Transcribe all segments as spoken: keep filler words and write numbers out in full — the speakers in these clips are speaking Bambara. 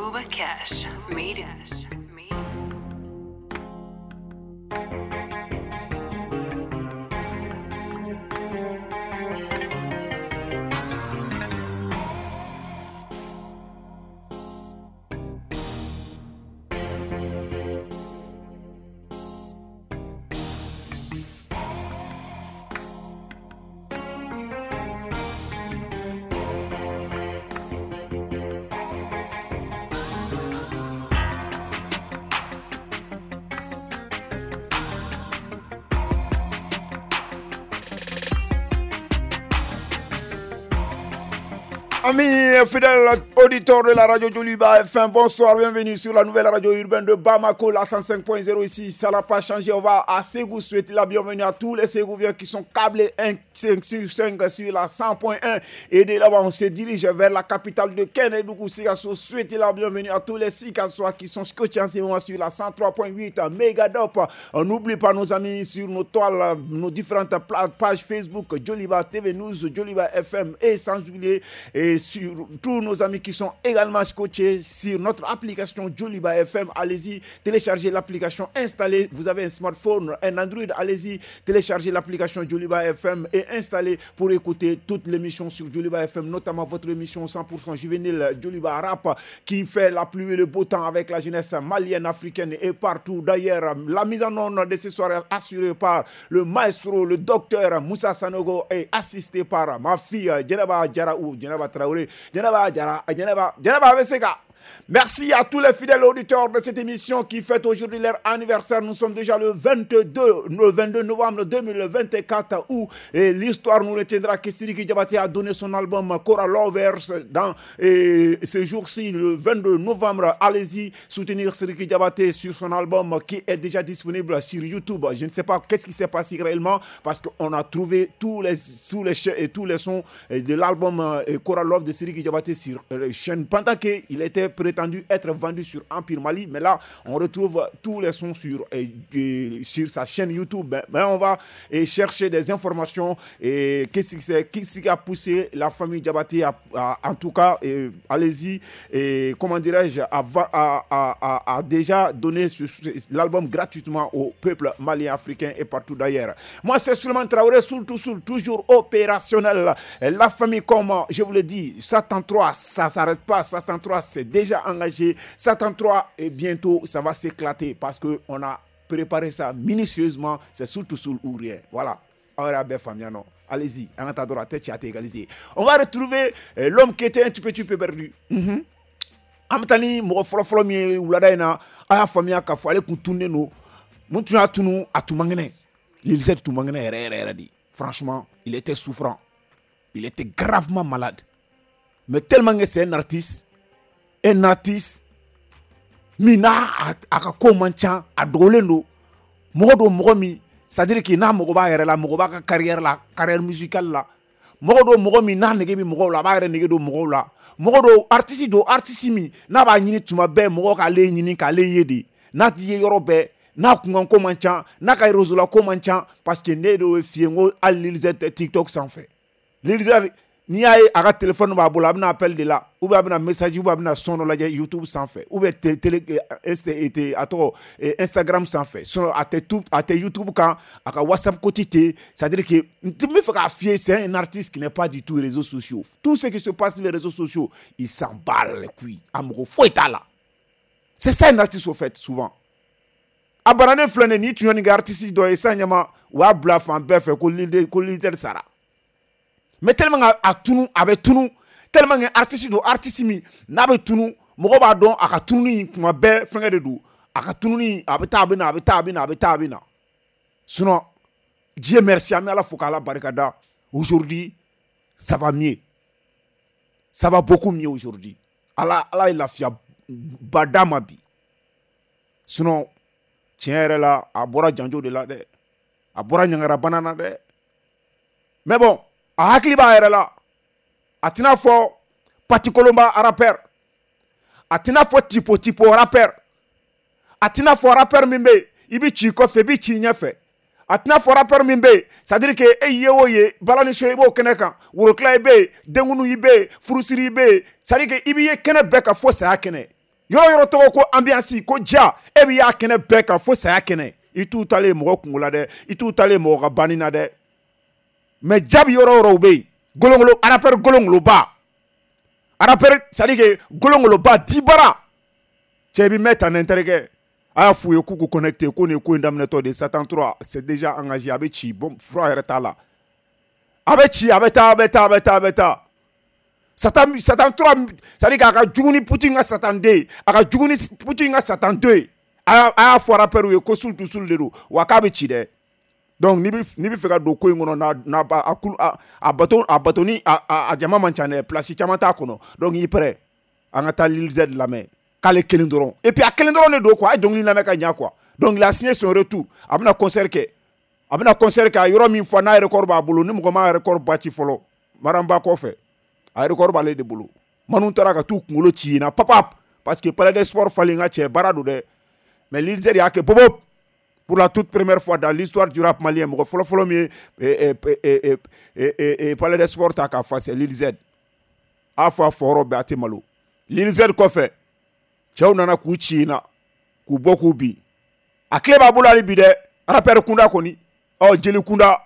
Booba Cash made it. Amis fidèles auditeurs de la radio Joliba F M, bonsoir, bienvenue sur la nouvelle radio urbaine de Bamako, la cent cinq point zéro ici, ça n'a pas changé, on va à Ségou souhaiter la bienvenue à tous les Ségouviens qui sont câblés un cinq sur cinq sur la cent point un et de là-bas on se dirige vers la capitale de Kénédougou, Sikasso, souhaiter la bienvenue à tous les Sikassois qui sont scotchés en ce moment sur la cent trois point huit Megadop. On n'oublie pas nos amis sur nos toiles, nos différentes pages Facebook, Joliba T V News, Joliba F M et sans oublier et sur tous nos amis qui sont également scotchés sur notre application Joliba F M. Allez-y, téléchargez l'application, installez. Vous avez un smartphone, un Android, allez-y, téléchargez l'application Joliba F M et installez pour écouter toute l'émission sur Joliba F M, notamment votre émission cent pour cent juvénile Joliba Rap qui fait la pluie et le beau temps avec la jeunesse malienne, africaine et partout. D'ailleurs, la mise en onde de ce soir est assurée par le maestro, le docteur Moussa Sanogo et assisté par ma fille Djenaba Diarra ou Djenaba Traoré. Djenaba Diarra, Djenaba, Djenaba Veseka. Merci à tous les fidèles auditeurs de cette émission qui fête aujourd'hui leur anniversaire. Nous sommes déjà le vingt-deux, le vingt-deux novembre deux mille vingt-quatre où et l'histoire nous retiendra que Sidiki Diabaté a donné son album Cora Lovers dans et ce jour-ci, le vingt-deux novembre. Allez-y soutenir Sidiki Diabaté sur son album qui est déjà disponible sur YouTube. Je ne sais pas qu'est-ce qui s'est passé réellement parce qu'on a trouvé tous les, tous les, et tous les sons de l'album Cora Love de Sidiki Diabaté sur la chaîne pendant qu'il était prétendu être vendu sur Empire Mali, mais là on retrouve tous les sons sur, et, et, sur sa chaîne YouTube. Mais on va et chercher des informations et qu'est-ce qui, c'est, qu'est-ce qui a poussé la famille Diabaté à, à, en tout cas, et, allez-y, et comment dirais-je, à, à, à, à, à déjà donner ce, ce, l'album gratuitement au peuple malien, africain et partout d'ailleurs. Moi c'est Souleymane Traoré, surtout, surtout, toujours opérationnel. La famille, comme je vous le dis, Satan trois, ça s'arrête pas, Satan trois c'est déjà engagé, Satan trois et bientôt ça va s'éclater parce que on a préparé ça minutieusement, c'est surtout sous ou rien. Voilà. Allez-y, en attendant la tête égalisée. On va retrouver l'homme qui était un petit peu, petit peu perdu. Mm-hmm. Amtani mɔgɔ fɔlɔ-fɔlɔ min ye wulada in na, a y'a faamuya k'a fɔ ale kun tunnen don. Mun tun y'a tunu, a tun man kɛnɛ. Lil Z tun man kɛnɛ yɛrɛ yɛrɛ yɛrɛ de. Franchement, il était souffrant. Il était gravement malade. Mais tellement que c'est un artiste, un artiste min n'a a ka ko man ca, a dogolen don, mɔgɔ don mɔgɔ min, c'est-à-dire que n'a mago b'a yɛrɛ la, mɔgɔ b'a ka carrière la, carrière musicale la, mɔgɔ don mɔgɔ min n'a nege bɛ mɔgɔw la, a b'a yɛrɛ nege don mɔgɔw la, mɔgɔ don artiste don artiste min n'a b'a ɲini tuma bɛɛ mɔgɔ k'ale ɲini k'ale ye de, n'a ti ye yɔrɔ bɛɛ, n'a kunkan ko man ca, n'a ka réseau la ko man ca, parce que ne de y'o f'i ye n ko hali Lil Z tɛ TikTok sanfɛ. Lil Z n'i y'a ye a ka téléphone b'a bolo, a bɛna appel de la, ou bien a bɛna message, ou bien a bɛna son dɔ lajɛ YouTube sanfɛ, ou bien télé a tɔgɔ Instagram sanfɛ, sinon a tɛ tout, a tɛ YouTube kan, a ka WhatsApp côté tɛ, c'est-à-dire que n bɛ fɛ k'a f'i ye, c'est un artiste qui n'est pas du tout réseaux sociaux. Tout ce qui se passe sur les réseaux sociaux, il s'en bat les couilles, a mɔgɔ foyi t'a la. C'est ça un artiste au fait souvent. A bananen filɛ nin ye, n'i tun ye nin kɛ artiste dɔ ye sisan ɲɛma, u b'a bila fan bɛɛ fɛ ko ko leader sara. Mais tellement a tunu, a bɛ tunu, tellement que artiste don artiste min n'a bɛ tunu, mɔgɔ b'a dɔn a ka tununi kuma bɛɛ fɛngɛ de don, a ka tununi a bɛ taa a bɛ na, a bɛ taa a bɛ na, a bɛ taa a bɛ na. Sinon Dieu merci, an bɛ Ala fo k'Ala barika da. Aujourd'hui ça va mieux, ça va beaucoup mieux aujourd'hui. Ala Ala ye lafiya ba d'a ma bi. Sinon tiɲɛ yɛrɛ la, a bɔra janjo de la dɛ, a bɔra ɲangarabana na dɛ. Mais bon, a hakili b'a yɛrɛ la, a tɛna fɔ patikolonba rappeur, a tɛna fɔ tipo tipo rappeur, a tɛna fɔ rappeur min bɛ yen i bɛ ci kɔfɛ i bɛ ci ɲɛfɛ, a tɛna fɔ rappeur min bɛ yen, c'est à dire que e ye o ye balani so i b'o kɛnɛ kan, worokila i bɛ yen, denkunu i bɛ yen, furusiri i bɛ yen, c'est à dire que i b'i ye kɛnɛ bɛɛ kan fo saya kɛnɛ. Yɔrɔ yɔrɔ tɔgɔ ko ambiance ko ja, e bɛ y'a kɛnɛ bɛɛ kan fo saya kɛnɛ. I t'u talen mɔgɔ kungo la dɛ, i t'u talen mɔgɔ ka banni na dɛ. Mais ja bɛ yɔrɔ yɔrɔ u bɛ yen. Golongolo rappeur golongoloba. Rappeur c'est à dire que golongoloba dibara. Cɛ bɛ mɛn tan n terikɛ. A y'a f'u ye k'u k'u connecté ko nin ye ko in daminɛtɔ de ye. Satan trois c'est déjà engagé, a bɛ ci, bon fura yɛrɛ t'a la. A bɛ ci, a bɛ taa, a bɛ taa, a bɛ taa, a bɛ taa. Satan Satan trois, c'est à dire k'a ka jugu ni Poutine ka Satan deux ye, a ka jugu ni Poutine ka Satan deux ye. A y'a fɔ rappeur ye ko sul tu sul de don, wa k'a bɛ ci dɛ. Donc n'i bɛ n'i bɛ fɛ ka don ko in kɔnɔ, n'a n'a a kulu a a bato a bato ni a a jama man ca dɛ, place caman t'a kɔnɔ. Donc i prêt, an ka taa Lil Z lamɛn. K'ale kelen dɔrɔn, et puis a kelen dɔrɔn de don quoi, a ye dɔnkili lamɛn ka ɲa quoi. Donc il a signé son retour, a bɛna concert kɛ, a bɛna concert kɛ a yɔrɔ min fɔ n'a record b'a bolo, ni mɔgɔ ma record bati fɔlɔ Maramba kɔfɛ, a record b'ale de bolo. Manu taara ka t'u kunkolo ci yen na papap, parce que Palais des Sports falen ka cɛ baara don dɛ. Mais Lil Z y'a kɛ bobo pour la toute première fois dans l'histoire du rap malien, mɔgɔ fɔlɔ fɔlɔ min ye Palais des Sports ta k'a fa, c'est Lil Z. A fɔ a fɔ yɔrɔ bɛɛ, a tɛ malo. Lil Z kɔfɛ, cɛw nana k'u ci in na, k'u bɔ k'u bin. A tile b'a bolo hali bi dɛ, rappeur kunda kɔni. Ɔ jeli kunda,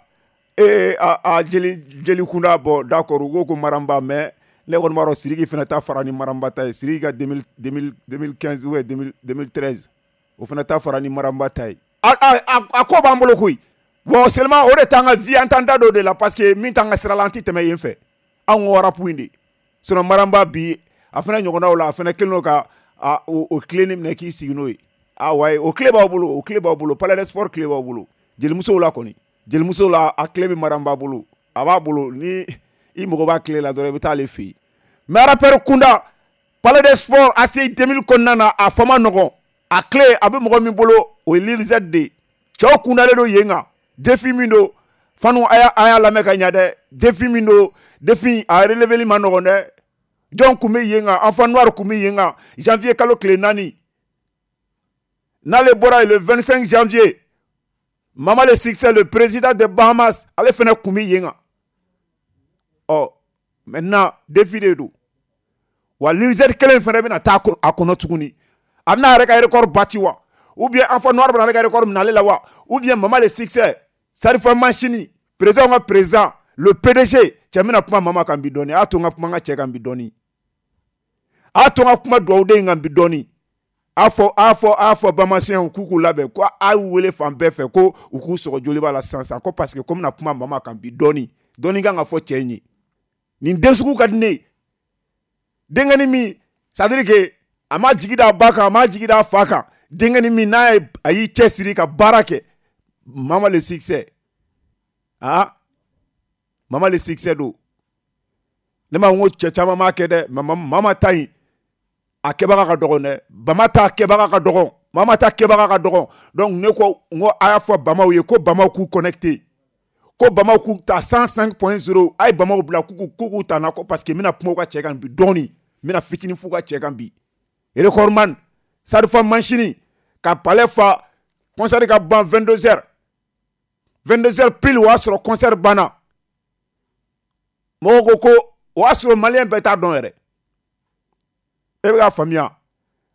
ee a a jeli jeli kunda, bon d'accord, u ko ko Maramba, mais ne kɔni b'a dɔn Sidiki fana ta fara ni Maramba ta ye. Sidiki ka deux mille quinze ou deux mille treize, o fana ta fara ni Maramba ta ye. A a a ko b'an bolo koyi. Bon seulement o de t'an ka vie, an t'an da don o de la, parce que min t'an ka sira la, an ti tɛmɛ yen fɛ. Anw ko rap in de. Sinon Maramba bi, a fana ɲɔgɔnnaw la, a fana kɛlen don ka a o o clé ni minɛ k'i sigi n'o ye. Ah ouais, o clé b'aw bolo, o clé b'aw bolo, Palais des Sports clé b'aw bolo. Jelimusow la kɔni, jelimusow la a clé bɛ Maramba bolo, a b'a bolo, ni i mago b'a clé la dɔrɔn i bɛ taa ale fɛ yen. Mais rappeur kunda, Palais des Sports A C I deux mille kɔnɔna na, a fa ma nɔgɔn, a clé a bɛ mɔgɔ min bolo, o ye Lil Z de ye. Cɛw kundalen don yen kan, défi min don, fanu a y'a a y'a lamɛn ka ɲa dɛ, défi min don, défi a releveli ma nɔgɔn dɛ. Jɔn kun bɛ yen kan? Enfant Noir kun bɛ yen kan, janvier kalo tile naani. N'ale bɔra yen, le vingt-cinq janvier, Mama le Succès, le président des Bahamas, ale fana kun bɛ yen kan. Ɔ maintenant défi de don. Wa Lil Z kelen fana bɛna taa a kɔnɔ tuguni. A bɛna a yɛrɛ ka record bati wa? Ou bien Enfant Noir bɛna ale ka record minɛ ale la wa? Ou bien Mama le Succès, Sarifa Machini, président ka président, le P D G, cɛ bɛna kuma Mama kan bi dɔɔni. A y'a to n ka kuma n ka cɛ kan bi dɔɔni. A y'a to n ka kuma dugawuden kan bi dɔɔni. A fɔ a fɔ a fɔ bamasiyɛnw k'u k'u labɛn, ko a y'u wele fan bɛɛ fɛ ko u k'u sɔgɔ joliba la sisan sisan, ko parce que ko n bɛna kuma Mama kan bi dɔɔni. Dɔɔni kan ka fɔ cɛ in ye. Nin den sugu ka di ne ye. Denkɛnin min, c'est à dire que a ma jigi da a ba kan, a ma jigi da a fa kan. Denkɛnin min n'a ye a y'i cɛsiri ka baara kɛ, Mama le Succès. Ah, Mama le Succès don. Ne ma n ko cɛ caman m'a kɛ dɛ, mais Mama ta in a kɛbaga ka dɔgɔn dɛ. Bama ta kɛbaga ka dɔgɔn, Mama ta kɛbaga ka dɔgɔn. Donc ne ko n ko a y'a fɔ bamaw ye ko bamaw k'u connecté, ko bamaw k'u ta cent cinq point zéro, a ye bamaw bila k'u k'u ta na ko parce que n bɛna kuma u ka cɛ kan bi dɔɔni, n bɛna fitinin f'u ka cɛ kan bi. Recordman, Sarifa Machini ka palais fa, concert ka ban vingt-deux heures, vingt-deux heures pile, o y'a sɔrɔ concert banna. Mɔgɔw ko ko o y'a sɔrɔ maliyɛn bɛɛ t'a dɔn yɛrɛ. E bɛ k'a faamuya,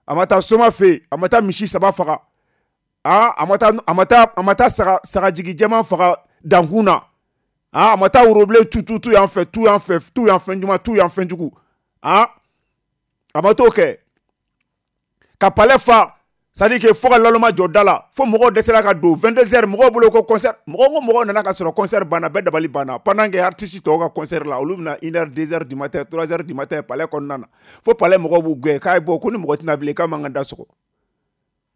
a ma taa soma fɛ yen, a ma taa misi saba faga, ah a ma taa a ma taa a ma taa saga sagajigi jɛman faga dankun na, ah a ma taa worobilen tu tu tu yan fɛ, tu yan fɛ, tu yan fɛn ɲuman, tu yan fɛn jugu, ah a ma t'o kɛ. Ka palais fa, c'est à dire que fo ka laloma jɔ da la, fo mɔgɔw dɛsɛra ka don vingt-deux heures, mɔgɔw bolo ko concert, mɔgɔ ko mɔgɔw nana ka sɔrɔ concert banna, bɛɛ dabali banna. Pendant que artiste tɔw ka concert la, olu bɛna une heure, deux heures du matin, trois heures du matin palais kɔnɔna na, fo palais mɔgɔw b'u gɛn k'a ye bɔ ko ni mɔgɔ tɛna bilen k'a man ka da sɔgɔ,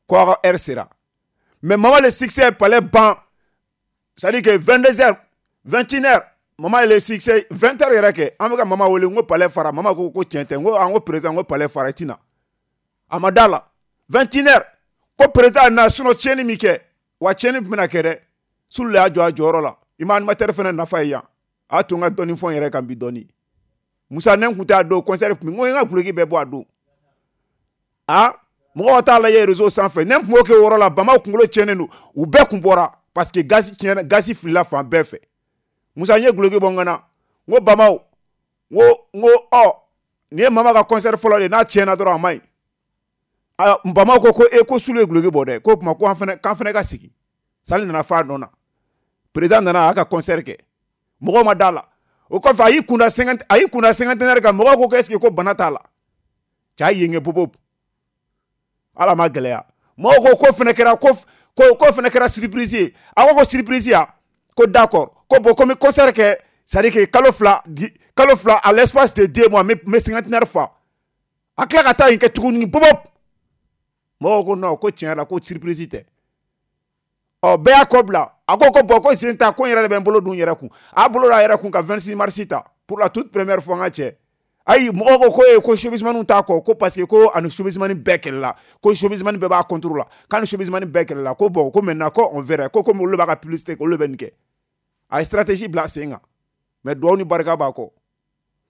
ko a ka heure sera. Mais Mama le Succès palais ban, c'est à dire que vingt-deux heures, vingt et une heures, Mama le Succès vingt heures yɛrɛ kɛ, an bɛ ka Mama wele, n ko palais fara, Mama ko ko tiɲɛ tɛ, n ko an ko président, n ko palais fara i ti na, a ma da la. vingt et une heures, ko président na, sinon tiɲɛni min kɛ, wa tiɲɛni bɛna kɛ dɛ. Sulu y'a jɔ a jɔyɔrɔ la, i ma animateur fana nafa ye yan. A y'a to n ka dɔɔni fɔ n yɛrɛ kan bi dɔɔni. Musa ne kun tɛ a don concert kun, n ko n ka guloki bɛɛ bɔ a don. Ah, mɔgɔw ka taa lajɛ réseau sanfɛ, ne kun b'o kɛ o yɔrɔ la, bamaw kunkolo tiɲɛnen don, u bɛɛ kun bɔra parce que gazi tiɲɛna, gazi filila fan bɛɛ fɛ. Musa n ye guloki bɔ n kan na, n ko bamaw, n ko n ko ɔ nin ye Mama ka concert fɔlɔ de ye, n'a tiɲɛna dɔrɔn a man ɲi. Bamaw ko ko e ko Sulu ye guloki bɔ dɛ, ko kuma ko an fana k'an fana ka sigi. Salle nana fa nɔ na. Président nana a y'a ka concert kɛ. Mɔgɔw ma da la. O kɔfɛ a y'i kunda cinquante a y'i kunda cinquantenaire kan, mɔgɔw ko ko est ce que ko bana t'a la. Cɛ y'a yenge bobo. Ala ma gɛlɛya. Mɔgɔw ko ko fana kɛra ko ko ko fana kɛra surprise ye. A ko ko surprise ya. Ko d'accord. Ko bon ko n bɛ concert kɛ, c'est à dire que kalo fila kalo fila à l'espace de deux mois n bɛ cinquantenaire fa. A tila ka taa yen kɛ tuguni bobo. Mɔgɔw ko non, ko tiɲɛ la ko surprise tɛ. Ɔ bɛɛ y'a kɔ bila. A ko ko bon ko sen ta ko n yɛrɛ de bɛ n bolo dun n yɛrɛ kun. A bolo da a yɛrɛ kun ka vingt-six mars ta pour la toute première fois n ka cɛ. Ayi mɔgɔw ko ko e ko showbizmaniw t'a kɔ, ko parce que ko ani showbizmani bɛɛ kɛlɛla, ko showbizmani bɛɛ b'a contre la, k'a ni showbizmani bɛɛ kɛlɛla, ko bon ko maintenant ko on verra, ko komi olu b'a ka publicité kɛ, olu bɛ nin kɛ. A ye stratégie bila sen kan. Mais duwawu ni barika b'a kɔ.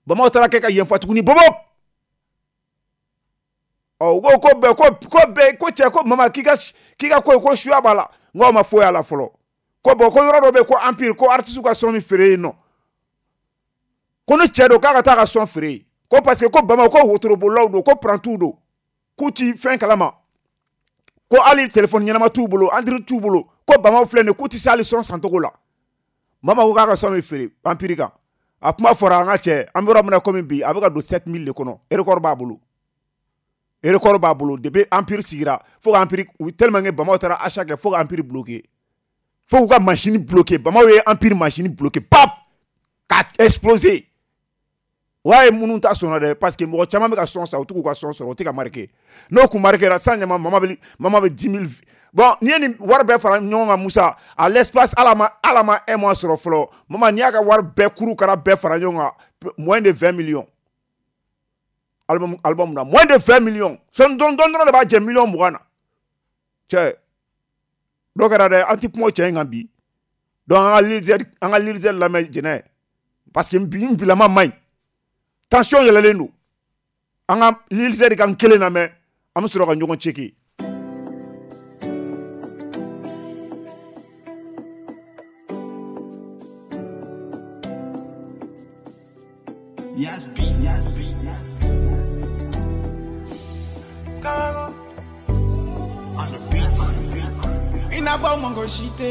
Bamaw taara kɛ ka yen fa tuguni bobo. Ɔ u ko ko bɛɛ ko ko bɛɛ ko cɛ ko mama k'i ka k'i ka ko ko suya b'a la. N ko aw ma foyi a la fɔlɔ. Ko bon ko yɔrɔ dɔ bɛ yen ko empire ko artiste ka son min feere yen nɔ. Ko ni cɛ don k'a ka taa ka son feere yen. Ko parce que ko Bamaw ko wotorobolilaw don, ko prantiw don, k'u ti fɛn kalama. Ko hali téléphone ɲɛnama t'u bolo, Android t'u bolo. Ko Bamaw filɛ nin ye k'u ti se hali son sancogo la. Mama ko k'a ka son min feere empire kan. A kuma fɔra an ka cɛ, an bɛ yɔrɔ min na komi bi, a bɛ ka don sept mille de kɔnɔ. Record b'a bolo. Record b'a bolo depuis empire sigira fo ka empire tellement que Bamaw taara achat kɛ fo ka empire bloqué. Fo k'u ka machine bloqué. Bamaw ye empire machine bloqué pap ka exploser. Ouais minnu ta sɔnna dɛ, parce que mɔgɔ caman bɛ ka son san, u t'u k'u ka son sɔrɔ, u tɛ ka marqué. N'o kun marqué la san ɲama mama bɛ mama bɛ dix mille. Bon n'i ye nin wari bɛɛ fara ɲɔgɔn kan Musa, à l'espace ala ma ala ma un mois sɔrɔ fɔlɔ. Mama n'i y'a ka wari bɛɛ kuru kara bɛɛ fara ɲɔgɔn kan, moins de vingt millions. Album album na moins de vingt millions. Son dɔn dɔn dɔrɔn de b'a jɛ million mugan na. Cɛ dɔ kɛra dɛ, an ti kuma o cɛ in kan bi. Donc an ka Lil Z an ka Lil Z lamɛn jɛnɛ, parce que bi n bilama man ɲi. Tension yɛlɛlen don. An ka Lil Z ka n kelen lamɛn, an bɛ sɔrɔ ka ɲɔgɔn ceke. Yes, B. Yes, B. On the beat. I n'a fɔ mɔgɔ si tɛ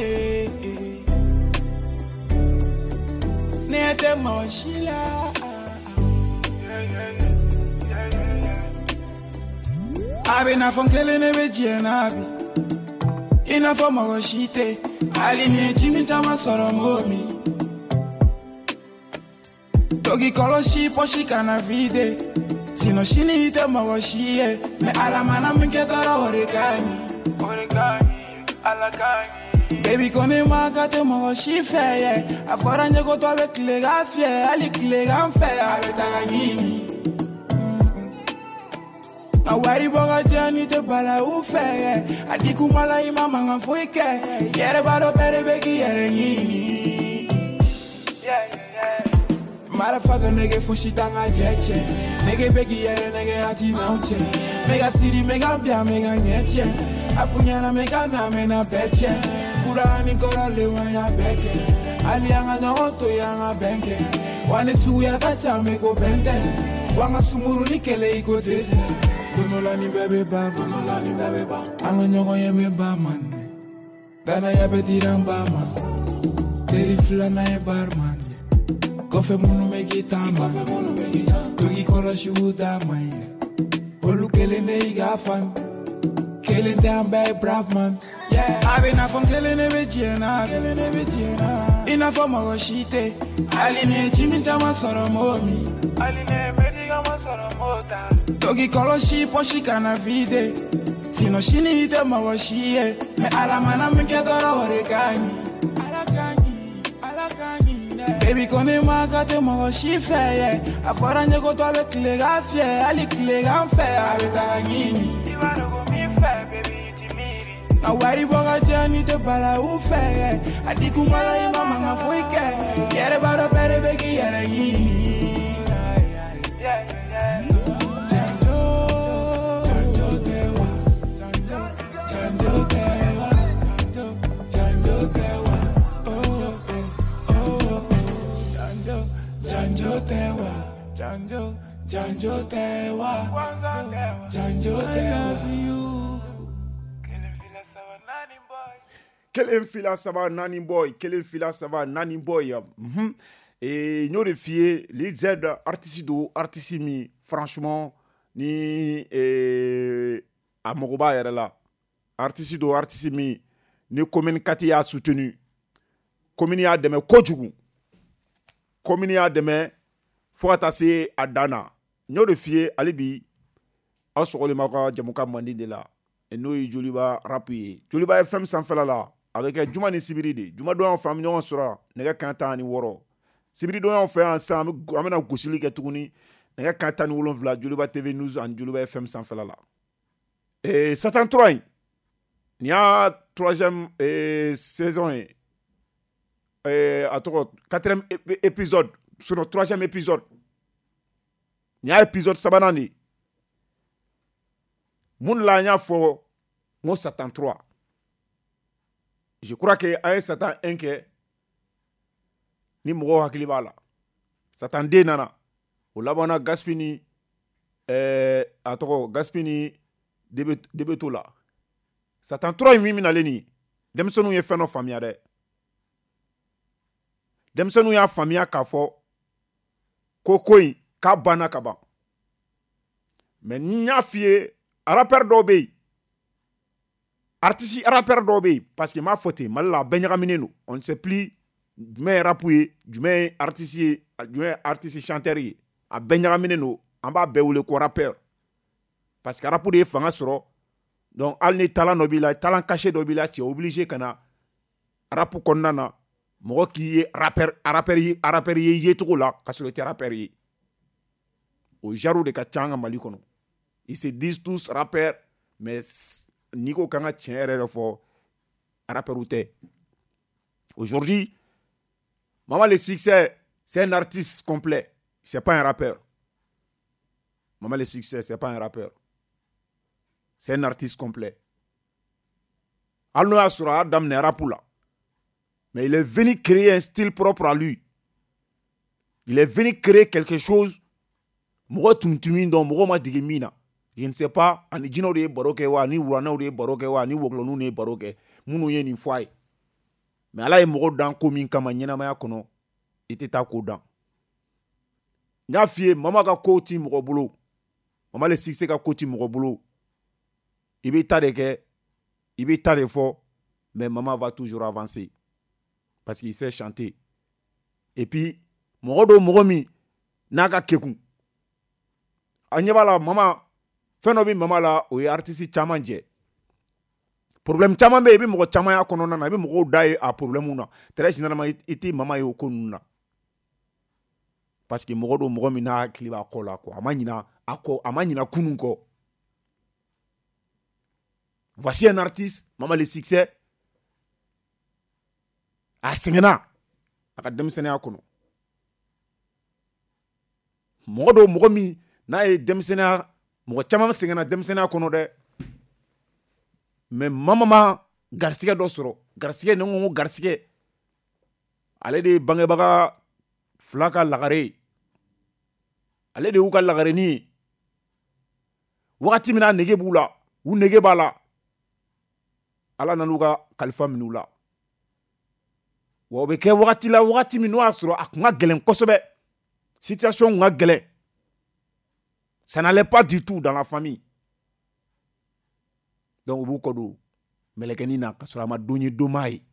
ne tɛ mɔgɔ si la. A bɛ n'a fɔ n kelen ne bɛ diɲɛ na bi, i n'a fɔ mɔgɔ si tɛ, hali ni ye ji min caman sɔrɔ m'o min. Togi kɔlɔsi pɔsi kana vide, sinon sini i tɛ mɔgɔ si ye, mais Ala mana min kɛ dɔrɔn o de ka ɲi. O de ka ɲi, Ala ka ɲi. Baby ko ne ma ka tɛ mɔgɔ si fɛ ye, a fɔra n ye ko tɔ bɛ tilegan fiyɛ, hali tilegan fɛ a bɛ taga ɲini. A wari bɔ ka diya ni tɛ balawu fɛ ye, a di kuma la i ma mankan foyi kɛ, i yɛrɛ b'a dɔn bɛɛ de bɛ k'i yɛrɛ ɲini. Yeah, yeah, yeah. Motherfucker nigga fosi t'an ka jɛ cɛ, nege bɛ k'i yɛrɛ nɛgɛ a ti n'anw cɛ, n bɛ ka siri n bɛ ka bila n bɛ ka ɲɛ cɛ, a f'u ɲɛna n bɛ ka na n bɛ na bɛɛ cɛ, kura ni kɔrɔlenw an y'a bɛɛ kɛ, hali an ka ɲɔgɔn to yen an ka bɛn kɛ, wa ni suguya ka ca n bɛ ko bɛn tɛ, wa an ka sunguru ni kɛlɛ i ko dɛsɛ. Don dɔ la nin bɛɛ bɛ ban, don dɔ la nin bɛɛ bɛ ban, an ka ɲɔgɔn ye bɛ ban man, danaya bɛ dira n ba ma, teri filanan ye barman ye. Kɔfɛ minnu bɛ k'i taama, to k'i kɔlɔsi u d'a ma ye, olu kelen de y'i ka fan, kelen tɛ an bɛɛ ye brave man. Yeah. A bɛ n'a fɔ n kelen de bɛ diɲɛ na, kelen de bɛ diɲɛ na, i n'a fɔ mɔgɔ si tɛ, hali ni ye ji min caman sɔrɔ m'o min. Hali ni ye médicament sɔrɔ m'o ta. To k'i kɔlɔsi pɔsi kana vide, sinon sini i tɛ mɔgɔ si ye, mais Ala mana min kɛ dɔrɔn o de ka ɲi. Ala ka ɲi, Ala ka ɲi dɛ. Baby ko ne ma ka tɛ mɔgɔ si fɛ ye, a fɔra n ye ko tɔ bɛ tilegan fiyɛ, hali tilegan fɛ a bɛ taga ɲini. I b'a dɔn ko min fɛ baby i ti miiri. A wari bɔ ka diya ni tɛ balawu fɛ ye, a di kuma la i ma mankan foyi kɛ, i yɛrɛ b'a dɔn bɛɛ de bɛ k'i yɛrɛ ɲini. Yeah, yeah, yeah. Janjo, janjo tɛ wa, janjo tɛ wa, janjo tɛ wa, oh oh oh, janjo, janjo tɛ wa, janjo, Janjo tɛ wa, janjo tɛ wa. Kelen fila saba naani boy, kelen fila saba naani boy. Mm-hmm. Et n y'o de f'i ye, Lil Z artiste do, artiste min franchement ni eh, a mago b'a yɛrɛ la. Artiste do, artiste min ni commune quatre y'a soutenu, commune y'a dɛmɛ kojugu, commune y'a dɛmɛ fo ka taa se a dan na. N y'o de f'i ye hali bi, aw sɔgɔlen b'aw ka jamukan mandi de la, n'o ye Joliba rap ye. Joliba F M sanfɛla la, a bɛ kɛ juma ni sibiri de. Juma don y'an fɛ, an bɛ ɲɔgɔn sɔrɔ nɛgɛ kanɲɛ tan ani wɔɔrɔ. Sibiri don y'an fɛ yan sisan, an bɛna gosili kɛ tuguni nɛgɛ kanɲɛ tan ni wolonwula Joliba T V News ani Joliba F M sanfɛla la. Ee Satan trois in, nin y'a troisième ee, saison ye. Ee, a tɔgɔ quatrième épisode, sinon troisième épisode. Nin y'a épisode sabanan de ye. Mun la an y'a fɔ n ko Satan trois. Je crois que an ye Satan un kɛ ni mɔgɔw hakili b'a la. Satan deux nana, o labanna Gaspi ni ɛɛ a tɔgɔ Gaspi ni Debeto la. Satan trois in min bɛnalen nin ye, denmisɛnninw ye fɛn dɔ faamuya dɛ. Denmisɛnninw y'a faamuya k'a fɔ ko ko in k'a banna ka ban. Mais n y'a f'i ye, rappeur dɔw bɛ yen, artiste rappeur dɔw bɛ yen, parce que n b'a fɔ ten, Mali la a bɛɛ ɲagaminen don. On ne sait plus jumɛn ye rap ye, jumɛn ye artiste ye, jumɛn ye artiste chanteur ye. A bɛɛ ɲagaminen don, an b'a bɛɛ wele ko rappeur. Parce que rap de ye fanga sɔrɔ. Donc hali ni talent dɔ b'i la, talent caché dɔ b'i la, tu es obligé ka na rap kɔnɔna na, mɔgɔ k'i ye rappeur, rappeur ye, rappeur ye yecogo la, ka sɔrɔ i tɛ rappeur ye. O genre de ka ca an ka Mali kɔnɔ. Ils se disent tous rappeurs, mais n'i ko k'an ka tiɲɛ yɛrɛ yɛrɛ fɔ, rappeur tɛ. Aujourd'hui, Mama le Succès, c'est un artiste complet, c'est pas un rappeur. Mama le Succès, c'est pas un rappeur. C'est un artiste complet. Hali n'o y'a sɔrɔ a y'a daminɛ rap la, mais il est venu créer un style propre à lui. Il est venu créer quelque chose. Mɔgɔ tun tɛ min dɔn, mɔgɔ ma dege min na. Je ne sais pas, ani jinɛw de ye baro kɛ wa, ani wuranɛw de ye baro kɛ wa, ani wɔkulɔninw de ye baro kɛ, minnu ye nin fɔ a ye. Mais Ala ye mɔgɔ dan ko min kama ɲɛnamaya kɔnɔ, i tɛ taa ko dan. N y'a f'i ye, Mama ka ko ti mɔgɔ bolo. Mama le Succès ka ko ti mɔgɔ bolo. I b'i ta de kɛ, i b'i ta de fɔ, mais Mama va toujours avancer. Parce qu'il sait chanter. Et puis, mɔgɔ dɔw, mɔgɔ min n'a ka kekun. A ɲɛ b'a la, Mama, fɛn dɔ bɛ Mama la, o ye artiste caman jɛ. Problème caman bɛ yen, i bɛ mɔgɔ caman y'a kɔnɔna na, i bɛ mɔgɔw da ye a problème na. Très généralement, i tɛ Mama ye o ko ninnu na. Parce que mɔgɔ dɔw, mɔgɔ min n'a hakili b'a kɔ la, quoi. A ma ɲina a kɔ, a ma ɲina kunun kɔ. Voici un artiste, Mama le Succès. A sɛgɛnna a ka denmisɛnninya kɔnɔ. Mɔgɔ dɔw, mɔgɔ min n'a ye denmisɛnninya, mɔgɔ caman sɛgɛnna denmisɛnninya kɔnɔ dɛ. Mais Mama ma garisigɛ dɔ sɔrɔ. Garisigɛ, ni n ko ko garisigɛ, ale de ye bangebaga fila ka lagare ye. Ale de y'u ka lagarenin ye. Wagati min na nege b'u la, u nege b'a la, Ala nan'u ka kalifa minɛ u la. Wa o bɛ kɛ wagati la, wagati min n'o y'a sɔrɔ a kun ka gɛlɛn kosɛbɛ. Situation kun ka gɛlɛn. Ça n'allait pas du tout dans la famille. Donc u b'u kɔ don mɛlɛkɛnin na ka sɔrɔ a ma don ye don m'a ye.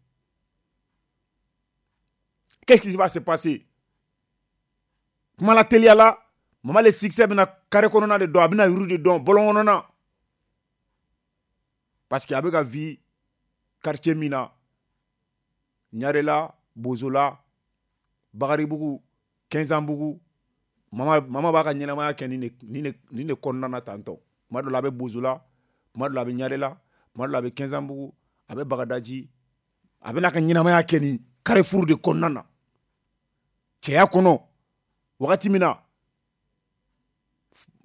Qu'est-ce qui va se passer? Kuma la teliya la, Mama le Succès bɛna carré kɔnɔna de dɔn, a bɛna yuru de dɔn, bɔlɔn kɔnɔna. Parce que a bɛ ka vie quartier min na, Ɲarela, Bozola, Bakaribugu, Kɛnzanbugu, Mama, Mama b'a ka ɲɛnamaya kɛ nin de, nin de, nin de kɔnɔna na tantɔ. Kuma dɔ la a bɛ Bozola, kuma dɔ la a bɛ Ɲarela, kuma dɔ la a bɛ Kɛnzanbugu, a bɛ Bagadaji. A bɛna ka ɲɛnamaya kɛ nin carrefour de kɔnɔna na. Cɛya kɔnɔ, wagati min na,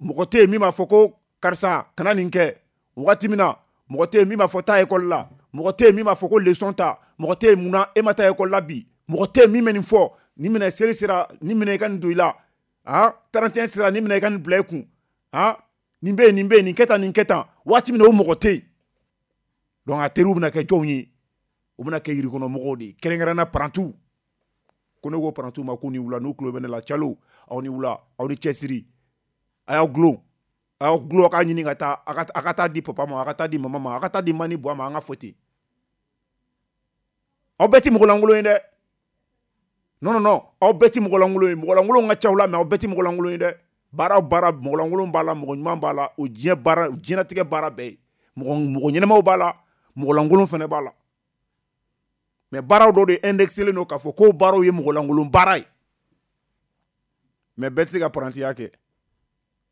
mɔgɔ tɛ yen min b'a fɔ ko karisa kana nin kɛ. Wagati min na, mɔgɔ tɛ yen min b'a fɔ taa école la. Mɔgɔ tɛ yen min b'a fɔ ko leçon ta. Mɔgɔ tɛ yen munna e ma taa école la bi. Mɔgɔ tɛ yen min bɛ nin fɔ. Nin minɛ seli sera, nin minɛ i ka nin don i la. Ah, trente et un sera nin minɛ i ka nin bila i kun. Ah, nin bɛ yen, nin bɛ yen, nin kɛ tan, nin kɛ tan. Waati min na o mɔgɔ tɛ yen. Donc a teriw bɛna kɛ jɔnw ye? U bɛna kɛ yirikɔnɔmɔgɔw de ye, kɛrɛnkɛrɛnnenya parantiw. Ko ne ko parantiw ma ko ni wula, n'u tulo bɛ ne la, calo, aw ni wula, aw ni cɛsiri. A y'aw gulon, a y'aw gulon, a k'a ɲini ka taa, a ka, a ka taa di papa ma, a ka taa di mama ma, a ka taa di mani buwa ma, an ka fɔ ten. Aw bɛɛ ti mɔgɔ lankolon ye dɛ. Non, non, non, aw bɛɛ ti mɔgɔ lankolon ye. Mɔgɔ lankolon ka ca aw la, mais aw bɛɛ ti mɔgɔ lankolon ye dɛ. Baara o baara, mɔgɔ lankolon b'a la, mɔgɔ ɲuman b'a la, o diɲɛ baara, diɲɛlatigɛ baara bɛɛ ye. Mɔgɔ, mɔgɔ ɲɛnɛmaw b'a la, mɔgɔ lankolon fɛnɛ b'a la. Mais baaraw dɔw de indexelen don k'a fɔ ko baaraw ye mɔgɔ lankolon baara ye. Mais bɛɛ tɛ se ka parantiya kɛ.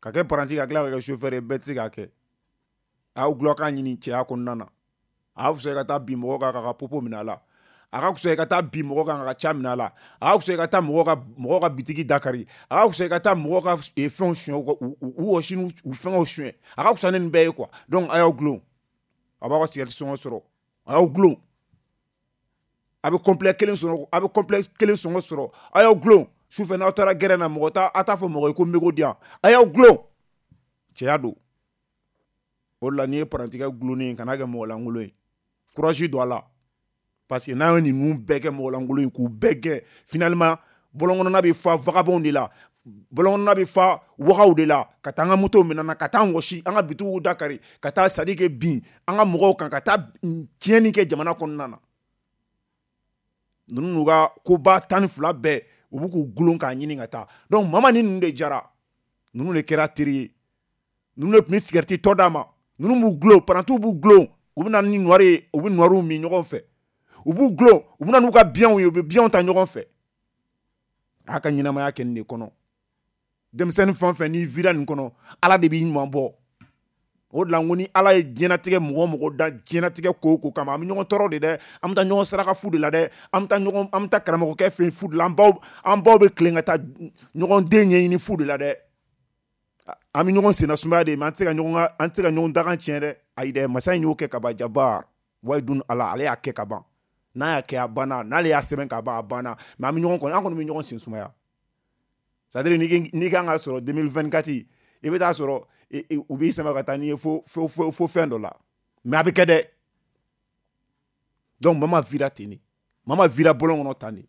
Ka kɛ paranti ka tila ka kɛ chauffeur ye, bɛɛ tɛ se k'a kɛ. A y'aw gulɔ k'a ɲini cɛya kɔnɔna na. A ka fisa i ka taa bin mɔgɔ kan k'a ka popo minɛ a la. A ka fisa i ka taa bin mɔgɔ kan k'a ka ca minɛ a la. A ka fisa i ka taa mɔgɔ ka, mɔgɔ ka bitigi dakari. A ka fisa i ka taa mɔgɔ ka fɛnw suɲɛ, u, u, u wɔsi n'u fɛngɛw suɲɛ. A ka fisa ni nin bɛɛ ye quoi. Donc a y'aw gulon. A b'aw ka cigarette sɔngɔ sɔrɔ. A y'aw gulon. A bɛ complet kelen sɔrɔ, a bɛ complet kelen sɔngɔ sɔrɔ. A y'aw gulon. Sufɛ n'aw taara gɛrɛn na, mɔgɔ t'a, a t'a fɔ mɔgɔ ye ko mégot di yan. A y'aw gulon. Cɛya don. O de la n'i ye parantikɛ gulonnen ye, kana kɛ mɔgɔ lankolon ye. Courage don a la. Parce que n'an ye ninnu bɛɛ kɛ mɔgɔ lankolon ye k'u bɛɛ gɛn, finalement bɔlɔn kɔnɔna bɛ fa vagabond de la, bɔlɔn kɔnɔna bɛ fa wagaw de la, ka taa an ka motow minɛ na, ka taa an wɔsi, an ka bitigiw dakari, ka taa c'est à dire que bin an ka mɔgɔw kan, ka taa tiɲɛni kɛ jamana kɔnɔna na. Ninnu n'u ka koba tan ni fila bɛɛ, u b'u k'u gulon k'a ɲini ka taa. Donc mama ni ninnu de jara, ninnu de kɛra teri ye, ninnu de tun bɛ cigarette tɔ d'a ma, ninnu b'u gulon, parantiw b'u gulon, u bɛ na ni noir ye, u bɛ noirw min ɲɔgɔn fɛ. U b'u gulon, u bɛ na n'u ka biyanw ye, u bɛ biyanw ta ɲɔgɔn fɛ. A ka ɲɛnamaya kɛ nin de kɔnɔ. Denmisɛnnin fɛn o fɛn n'i vira nin kɔnɔ, Ala de b'i ɲuman bɔ. O de la n ko ni Ala ye diɲɛlatigɛ mɔgɔ o mɔgɔ da diɲɛlatigɛ ko o ko kama, an bɛ ɲɔgɔn tɔɔrɔ de dɛ, an bɛ taa ɲɔgɔn saraka fu de la dɛ, an bɛ taa ɲɔgɔn, an bɛ taa karamɔgɔkɛ fɛ yen fu de la, an baw, an baw bɛ tilen ka taa ɲɔgɔn den ɲɛɲini fu de la dɛ. An bɛ ɲɔgɔn senna sumaya de, mais an tɛ se ka ɲɔgɔn ka, an tɛ se ka ɲɔgɔn dakan tiɲɛ dɛ. Ayi dɛ, masa in y'o kɛ ka ban, Jabar wayidun Ala, ale y'a kɛ ka ban. N'a y'a kɛ a banna, n'ale y'a sɛbɛn ka ban a banna, mais an bɛ ɲɔgɔn kɔni, an kɔni bɛ ɲɔgɔn sen sumaya. C'est à dire n'i kan ka sɔrɔ deux mille vingt-quatre, i bɛ taa sɔrɔ u b'i sama ka taa n'i ye fo fo fo fo fɛn dɔ la, mais a bɛ kɛ dɛ. Donc mama vira ten de, mama vira bɔlɔn kɔnɔ tan de.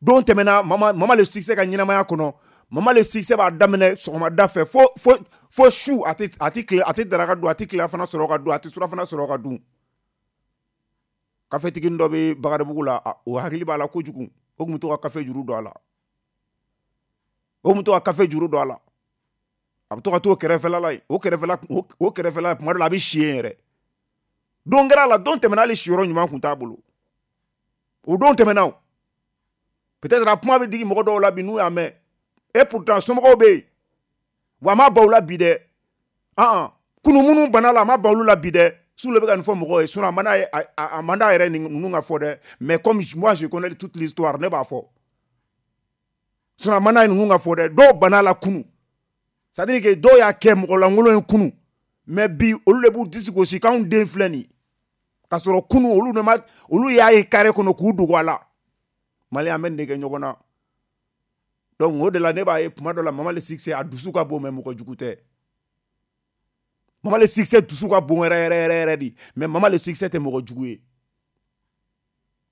Don tɛmɛna, mama mama le succès ka ɲɛnamaya kɔnɔ, mama le succès b'a daminɛ sɔgɔmada fɛ fo fo fo su, a tɛ a tɛ tile, a tɛ daraka dun, a tɛ tilelafana sɔrɔ ka dun, a tɛ surafana sɔrɔ ka dun. Kafetigi dɔ bɛ Bakaribugu la, o hakili b'a la kojugu, o tun bɛ to ka kafe juru don a la, o tun bɛ to ka kafe juru don a la. A bɛ to ka t'o kɛrɛfɛla la yen, o kɛrɛfɛla, o kɛrɛfɛla tuma dɔ la a bɛ si yen yɛrɛ. Don kɛra a la, don tɛmɛna, hali siyɔrɔ ɲuman tun t'a bolo. O don tɛmɛna o. Peut-être a kuma bɛ digi mɔgɔ dɔw la bi n'u y'a mɛn. Et pourtant somɔgɔw bɛ yen, wa a ma ban u la bi dɛ. An kunu minnu bana la, a ma ban olu la bi dɛ. Su le bɛ ka nin fɔ mɔgɔw ye, sinon a man d'a ye, a man d'a yɛrɛ ninnu ka fɔ dɛ. Mais comme moi je connais toute l'histoire, ne b'a fɔ. Sinon a man d'a ye ninnu ka fɔ dɛ. Dɔw bana la kunu. C'est-à-dire que dɔw y'a kɛ mɔgɔ lankolon ye kunu, mais bi olu de b'u disi gosi k'anw den filɛ nin ye. K'a sɔrɔ kunu olu de ma, olu y'a ye carré kɔnɔ k'u dogo a la. Mali an bɛ nin de kɛ ɲɔgɔn na. Donc o de la ne b'a ye tuma dɔ la mama le succès a dusu ka bon, mais mɔgɔ jugu tɛ. Mama le succès dusu ka bon yɛrɛ yɛrɛ yɛrɛ yɛrɛ de, mais mama le succès tɛ mɔgɔ jugu ye.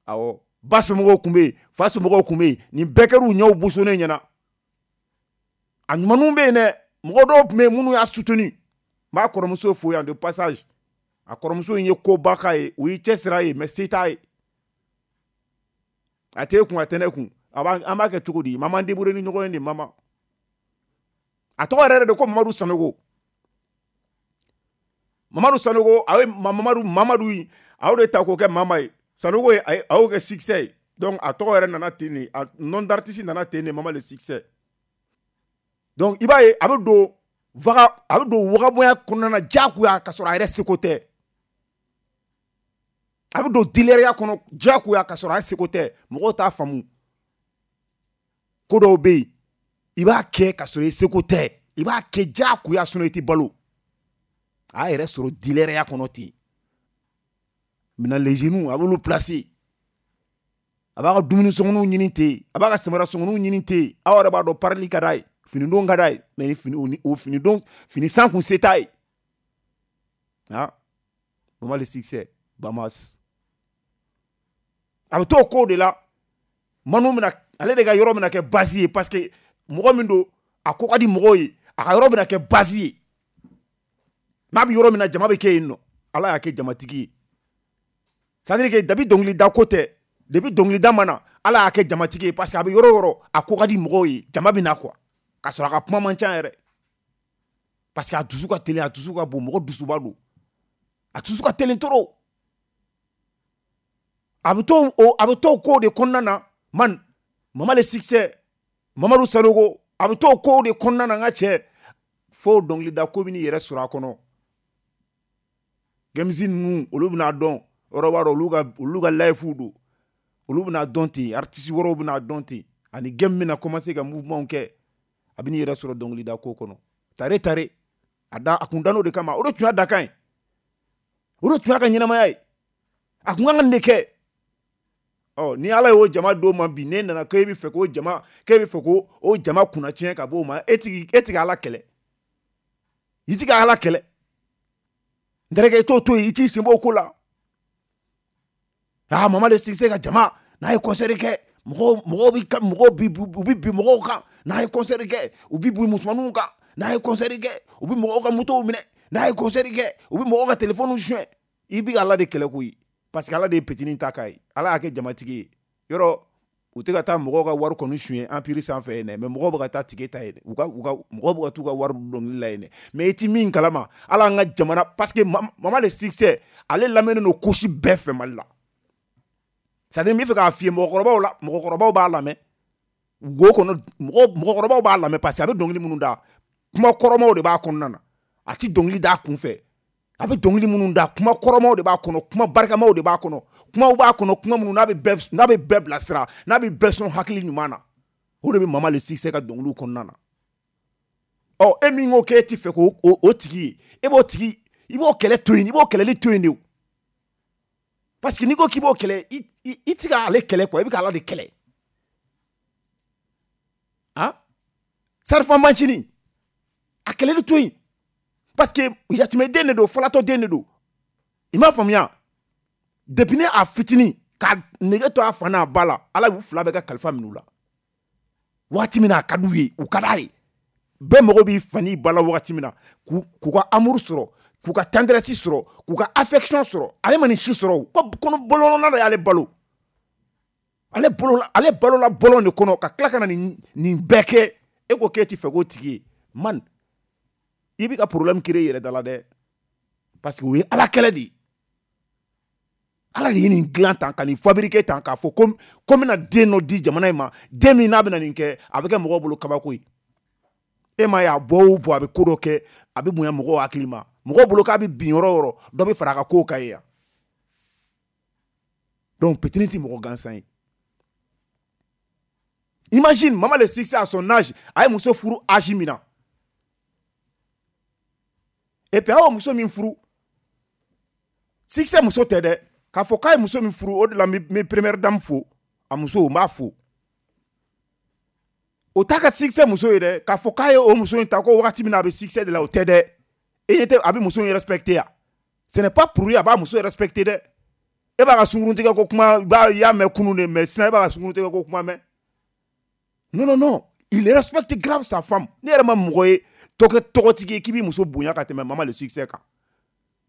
Awɔ, ba somɔgɔw tun bɛ yen, fa somɔgɔw tun bɛ yen, nin bɛɛ kɛr'u ɲɛw bosonnen ɲɛna. A ɲumanw bɛ yen dɛ, mɔgɔ dɔw tun bɛ yen minnu y'a soutenu. N b'a kɔrɔmuso fo yan de passage. A kɔrɔmuso in ye koba k'a ye, o y'i cɛsiri a ye, mais se t'a ye. A t'e kun, a tɛ ne kun. A b'a, an b'a kɛ cogo di? Mama débrouiller ni ɲɔgɔn ye de mama. A tɔgɔ yɛrɛ de ko Mamadu Sanogo. Mamadu Sanogo, a ye Mamadu, Mamadu in, a y'o de ta k'o kɛ mama ye. Sanogo ye, a y'o kɛ succès ye. Donc a tɔgɔ yɛrɛ nana ten de, a nom d'artiste nana ten de, Mama le succès. Donc i b'a ye a bɛ don vaga, a bɛ don wagabonya kɔnɔna na diyagoya ka sɔrɔ a yɛrɛ seko tɛ. A bɛ don dilɛriya kɔnɔ diyagoya ka sɔrɔ a seko tɛ. Mɔgɔw t'a faamu. Ko dɔw bɛ yen, i b'a kɛ ka sɔrɔ i seko tɛ. I b'a kɛ diyagoya sinon i tɛ balo. A yɛrɛ sɔrɔ dilɛriya kɔnɔ ten. Maintenant les genoux, a b'olu placer. A b'a ka dumuni sɔngɔninw ɲini ten, a b'a ka samara sɔngɔninw ɲini ten. Aw yɛrɛ b'a dɔn parili ka d'a ye, finidon ka d'a ye, mais ni fini o finidon fini san kun se t'a ye. Ah, Mama le Succès, Bamas. A bɛ t'o ko de la. Manu bɛna ale de ka yɔrɔ bɛna kɛ base ye, parce que mɔgɔ min don, a ko ka di mɔgɔw ye, a ka yɔrɔ bɛna kɛ base ye. N'a bɛ yɔrɔ min na, jama bɛ kɛ yen nɔ. Ala y'a kɛ jamatigi ye. C'est à dire que depuis dɔnkilida ko tɛ, depuis dɔnkilida ma na, Ala y'a kɛ jamatigi ye, parce que a bɛ yɔrɔ o yɔrɔ, a ko ka di mɔgɔw ye, jama bɛ na quoi. K'a sɔrɔ a ka kuma man ca yɛrɛ. Parce que a dusu ka teli, a dusu ka bon, mɔgɔ dusuba don. A dusu ka teli trop. A bɛ to o, a bɛ to o ko de kɔnɔna na, man, Mama le Succès, Mamadu Sanogo, a bɛ to o ko de kɔnɔna na n ka cɛ. Fo dɔnkilida ko bɛ n'i yɛrɛ sɔrɔ a kɔnɔ. Gamezi ninnu, olu bɛna dɔn, yɔrɔ b'a dɔn, olu ka olu ka life don. Olu bɛna dɔn ten, artiste wɛrɛw bɛna dɔn ten. Ani game bɛna commencer ka mouvement kɛ. A bɛ n'i yɛrɛ sɔrɔ dɔnkilida ko kɔnɔ. Tare tare, a da a kun dan'o de kama, o de tun y'a dakan ye. O de tun y'a ka ɲɛnamaya ye. A kun kan ka nin de kɛ. Ɔ, ni Ala y'o jama d'o ma bi, n'e nana k'e bɛ fɛ k'o jama, k'e bɛ fɛ k'o o jama kunna tiɲɛ ka b'o ma, e tigi, e tigi Ala kɛlɛ. I tigi Ala kɛlɛ. N terikɛ, i t'o to yen, i t'i sen bɔ o ko la. Ah, Mama le Succès ka jama, n'a ye concert kɛ, mɔgɔw, mɔgɔw bi ka, mɔgɔw bi, u bi bin mɔgɔw kan. N'a ye concert kɛ, u bi bin musomaninw kan. N'a ye concert kɛ, u bi mɔgɔw ka motow minɛ. N'a ye concert kɛ, u bi mɔgɔw ka téléphone suɲɛ. I bi Ala de kɛlɛ koyi. Parce que Ala de ye petinin ta k'a ye. Ala y'a kɛ jamatigi ye. Yɔrɔ, u tɛ ka taa mɔgɔw ka wari kɔni suɲɛ empire sanfɛ yen dɛ, mais mɔgɔw bɛ ka taa tige ta yen dɛ. U ka, u ka, mɔgɔw bɛ ka t'u ka wari dɔnkili la yen dɛ. Mais i ti min kalama, Ala an ka jamana, parce que Mama le Succès, ale lamɛnnen don couche bɛɛ fɛ Mali la. C'est à dire n bɛ fɛ k'a f'i ye, mɔgɔkɔrɔbaw la, mɔgɔkɔrɔbaw b'a lamɛn. Wo kɔnɔ, mɔgɔ, mɔgɔkɔrɔbaw b'a lamɛn parce que a bɛ dɔnkili minnu da, kuma kɔrɔmaw de b'a kɔnɔna na. A ti dɔnkili da a kun fɛ. A bɛ dɔnkili minnu da, kuma kɔrɔmaw de b'a kɔnɔ, kuma barikamaw de b'a kɔnɔ, kumaw b'a kɔnɔ, kuma minnu n'a bɛ bɛɛ, n'a bɛ bɛɛ bilasira, n'a bɛ bɛɛ sɔn hakili ɲuman na. O de bɛ Mama le Succès ka dɔnkiliw kɔnɔna na. Ɔ, e min ko k'e ti fɛ k'o o, o tigi ye, e b'o tigi, i b'o kɛlɛ to yen, i b'o kɛlɛli to yen de o. Parce que n'i ko k'i b'o kɛlɛ, i, i, i ti k'ale kɛlɛ quoi, i bɛ k'Ala de kɛlɛ. Han? Sarifan mansini, a kɛlɛli to yen. Parce que yatimɛden de don, falatɔ den de don. I m'a faamuya? Depuis ne a fitinin ka nege to a fa n'a ba la, Ala y'u fila bɛɛ ka kalifa minɛ u la. Waati min na a ka d'u ye, u ka d'a ye. Bɛɛ mago b'i fa n'i ba la wagati min na, k'u, k'u ka amour sɔrɔ, k'u ka tendresse sɔrɔ, k'u ka affection sɔrɔ. Ale ma nin si sɔrɔ o. Ko kɔnɔ bɔlɔnna de y'ale balo. Ale balola, ale balola bɔlɔn de kɔnɔ ka tila ka na nin, nin bɛɛ kɛ. E ko k'e ti fɛ k'o tigi ye. Man, i b'i ka problème créer i yɛrɛ da la dɛ. Parce que o ye Ala kɛlɛ de ye. Ala de ye nin dilan tan, ka nin fabriquer tan, k'a fɔ ko, ko n bɛna den dɔ di jamana in ma. Den min n'a bɛna nin kɛ, a bɛ kɛ mɔgɔw bolo kabako ye. E m'a ye a bɔ o bɔ, a bɛ ko dɔ kɛ, a bɛ bonya mɔgɔw hakili ma. Mɔgɔw bolo k'a bɛ bin yɔrɔ o yɔrɔ, dɔ bɛ fara a ka kow kan yen. Donc, petini ti mɔgɔ gansan ye. Imagine, Mama le Succès à son âge, a ye muso furu âge min na. Et puis, a y'o muso min furu, Succès muso tɛ dɛ. K'a fɔ k'a ye muso min furu, o de la n bɛ première dame fo, a muso, n b'a fo. O t'a ka Succès muso ye dɛ. K'a fɔ k'a ye o muso in ta ko wagati min na a bɛ succès de la, o tɛ dɛ. E ɲɛ tɛ a bɛ muso in respecter ya. Ce n'est pas pour lui a b'a muso respecter dɛ. E b'a ka sunkuruntigɛ ko kuma, i b'a, i y'a mɛn kunun de, mais sisan e b'a ka sunkuruntigɛ ko kuma mɛn. Non, non, non. Il respecte grave sa femme. Ne yɛrɛ ma mɔgɔ ye tɔgɔ, tɔgɔtigi ye k'i b'i muso bonya ka tɛmɛ Mama le Succès kan.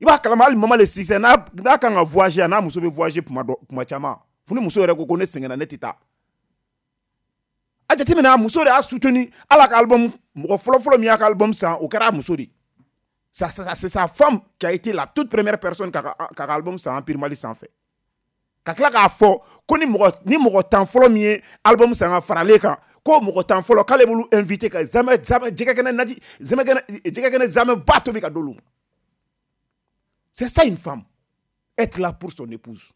I b'a kalama hali Mama le Succès n'a, n'a kan ka voyager, a n'a muso bɛ voyager kuma dɔ, kuma caman. Fo ni muso yɛrɛ ko ko ne sɛgɛnna, ne tɛ taa. A jateminɛ, a muso de y'a soutenu. Ala ka album, mɔgɔ fɔlɔfɔlɔ min y'a ka album san, o kɛra a muso de ye. Ça, ça, c'est sa femme qui a été la toute première personne k'a ka, k'a ka album san Empire Mali sanfɛ. Ka tila k'a fɔ ko ni mɔgɔ, ni mɔgɔ tan fɔlɔ min ye album san ka fara ale kan, ko mɔgɔ tan fɔlɔ k'ale b'olu invité ka zamɛ, zamɛ, jɛgɛ kɛnɛ naji, zamɛ kɛnɛ, jɛgɛ kɛnɛ zamɛ ba tobi ka d'olu ma. C'est ça une femme. Être là pour son épouse.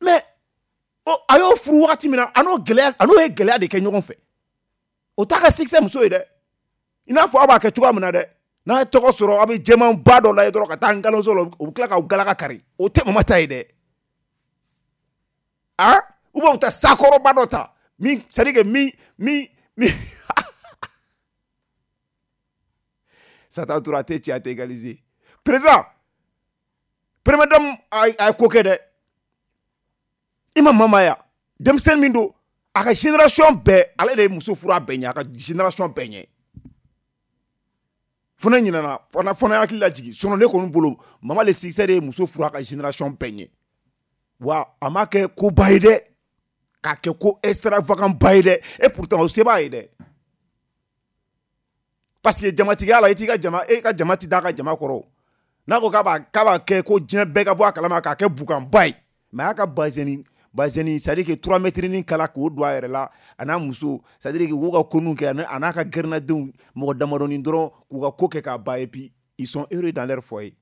Mais oh, a y'o furu wagati min na, a n'o gɛlɛya, a n'o ye gɛlɛya de kɛ ɲɔgɔn fɛ. O t'a ka succès muso ye dɛ. I n'a fɔ aw b'a kɛ cogoya min na dɛ. N'a ye tɔgɔ sɔrɔ, aw bɛ jɛman ba dɔ lajɛ dɔrɔn ka taa nkalonso la, u bɛ tila k'aw galaka kari. O tɛ mama ta ye dɛ. Ah, ou bien u taa sakɔrɔba dɔ ta min, c'est à dire que min min min Satan tora a tɛ cɛ, a tɛ égaliser. Président, première dame a ye ko kɛ dɛ. I ma mama ya denmisɛnnin min don, a ka génération bɛɛ, ale de ye muso furu a bɛɛ ɲɛ, a ka génération bɛɛ ɲɛ. Fo ne ɲinɛna, fana fana hakili lajigin. Sinon ne kɔni bolo, Mama le succès de ye muso furu a ka génération bɛɛ ɲɛ. Wa a ma kɛ koba ye dɛ, k'a kɛ ko extravagant ba ye dɛ. Et pourtant o se b'a ye dɛ, parce que jamatigiya la, i t'i ka jama, e ka jama ti da ka jama kɔrɔ. N'a ko k'a b'a k'a b'a kɛ ko diɲɛ bɛɛ ka bɔ a kalama, k'a kɛ bukanba ye, mais a y'a ka bazɛni bazɛni, c'est à dire que trois mètres ni kala k'o don a yɛrɛ la, a n'a muso, c'est à dire que k'u ka ko ninnu kɛ, a n'a ka gɛrɛnadenw mɔgɔ damadɔni dɔrɔn k'u ka ko kɛ k'a ban, et puis ils sont heureux dans leur foyer.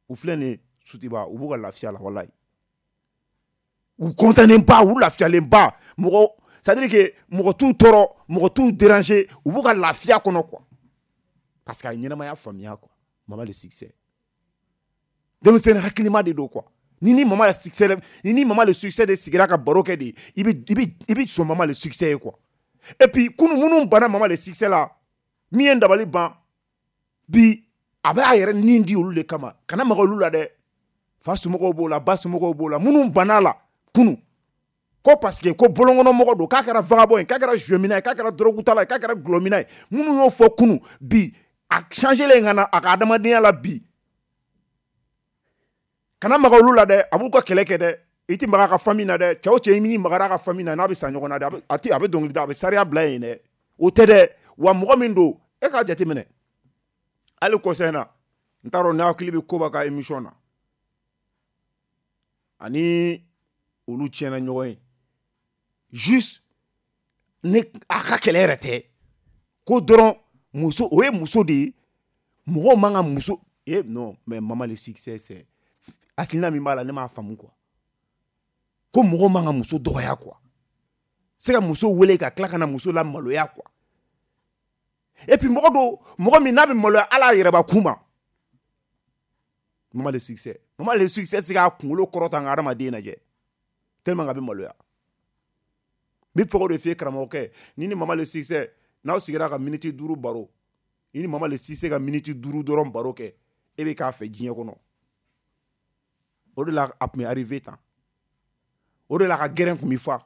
U filɛ nin ye Sotiba, u b'u ka lafiya la, walayi. U content ba, u lafiyalen ba, mɔgɔ, c'est à dire que mɔgɔ t'u tɔɔrɔ, mɔgɔ t'u déranger, u b'u ka lafiya kɔnɔ quoi, parce que a ye ɲɛnamaya faamuya quoi. Mama le succès, denmisɛnnin hakilima de don quoi. Ni ni Mama le succès, ni ni Mama le succès de sigira ka baro kɛ de, i bɛ i bɛ i bɛ sɔn Mama le succès ye quoi. Et puis kunu minnu banna Mama le succès la, min ye n dabali ban bi, a bɛ a yɛrɛ nin di olu de kama. Kana maga olu la dɛ. Fa somɔgɔw b'o la, ba somɔgɔw b'o la, minnu banna la kunu ko parce que ko bɔlɔnkɔnɔmɔgɔ don, k'a kɛra vagabond ye, k'a kɛra jouet ye, k'a kɛra dɔrɔgutala ye, k'a kɛra gulɔmina ye, minnu y'o fɔ kunu, bi a changé len ka na a ka adamadenya la bi. Kana maga olu la dɛ, a b'u ka kɛlɛ kɛ dɛ. I ti maga a ka famille na dɛ. Cɛ o cɛ, n'i magara a ka famille na, n'a bɛ sa ɲɔgɔn na dɛ, a ti a bɛ dɔnkili da, a bɛ sariya bila yen dɛ. O tɛ dɛ. Wa mɔgɔ min don, e k'a jateminɛ hali kɔsa in na, n t'a dɔn n'a hakili bɛ Koba ka émission na, ani olu tiɲɛna ɲɔgɔn ye juste ne a ka kɛlɛ yɛrɛ tɛ ko dɔrɔn muso, o ye muso de ye, mɔgɔw man ka muso. Eh non, mais Mama le succès, c'est hakilina min b'a la, ne m'a faamu quoi. Ko mɔgɔw man ka muso dɔgɔya quoi, se ka muso wele ka tila ka na muso la maloya quoi. Et puis mɔgɔ dɔw, mɔgɔ min n'a bɛ maloya ala yɛrɛbakun ma, Mama le succès, Mama le succès se k'a kunkolo kɔrɔta n ka hadamaden lajɛ tellement k'a bɛ maloya. N bɛ fɛ k'o de f'i ye karamɔgɔkɛ, ni ni Mama le succès n'aw sigira ka miniti duuru baro, i ni Mama le succès ka miniti duuru dɔrɔn baro kɛ, e bɛ k'a fɛ diɲɛ kɔnɔ. O de la a tun bɛ arrivé tan, o de la a ka gɛrɛn tun bɛ fa.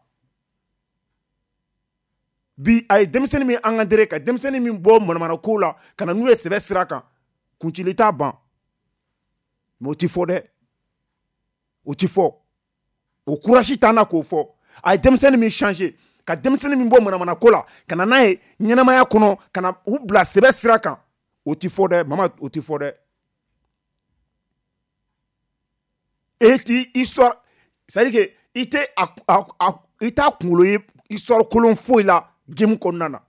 Bi a ye denmisɛnnin min encadré, ka denmisɛnnin min bɔ manamana ko la ka na n'u ye sɛbɛ sira kan, kuncili t'a ban. Mais o ti fɔ dɛ, o ti fɔ, o courage t'an na k'o fɔ. A ye denmisɛnnin min changer, ka denmisɛnnin min bɔ manamana ko la ka na n'a ye ɲɛnamaya kɔnɔ, ka na u bila sɛbɛ sira kan, o ti fɔ dɛ. Mama, o ti fɔ dɛ. E ti histoire, c'est à dire que i tɛ a a a i t'a kunkolo ye histoire kolon foyi la game kɔnɔna na.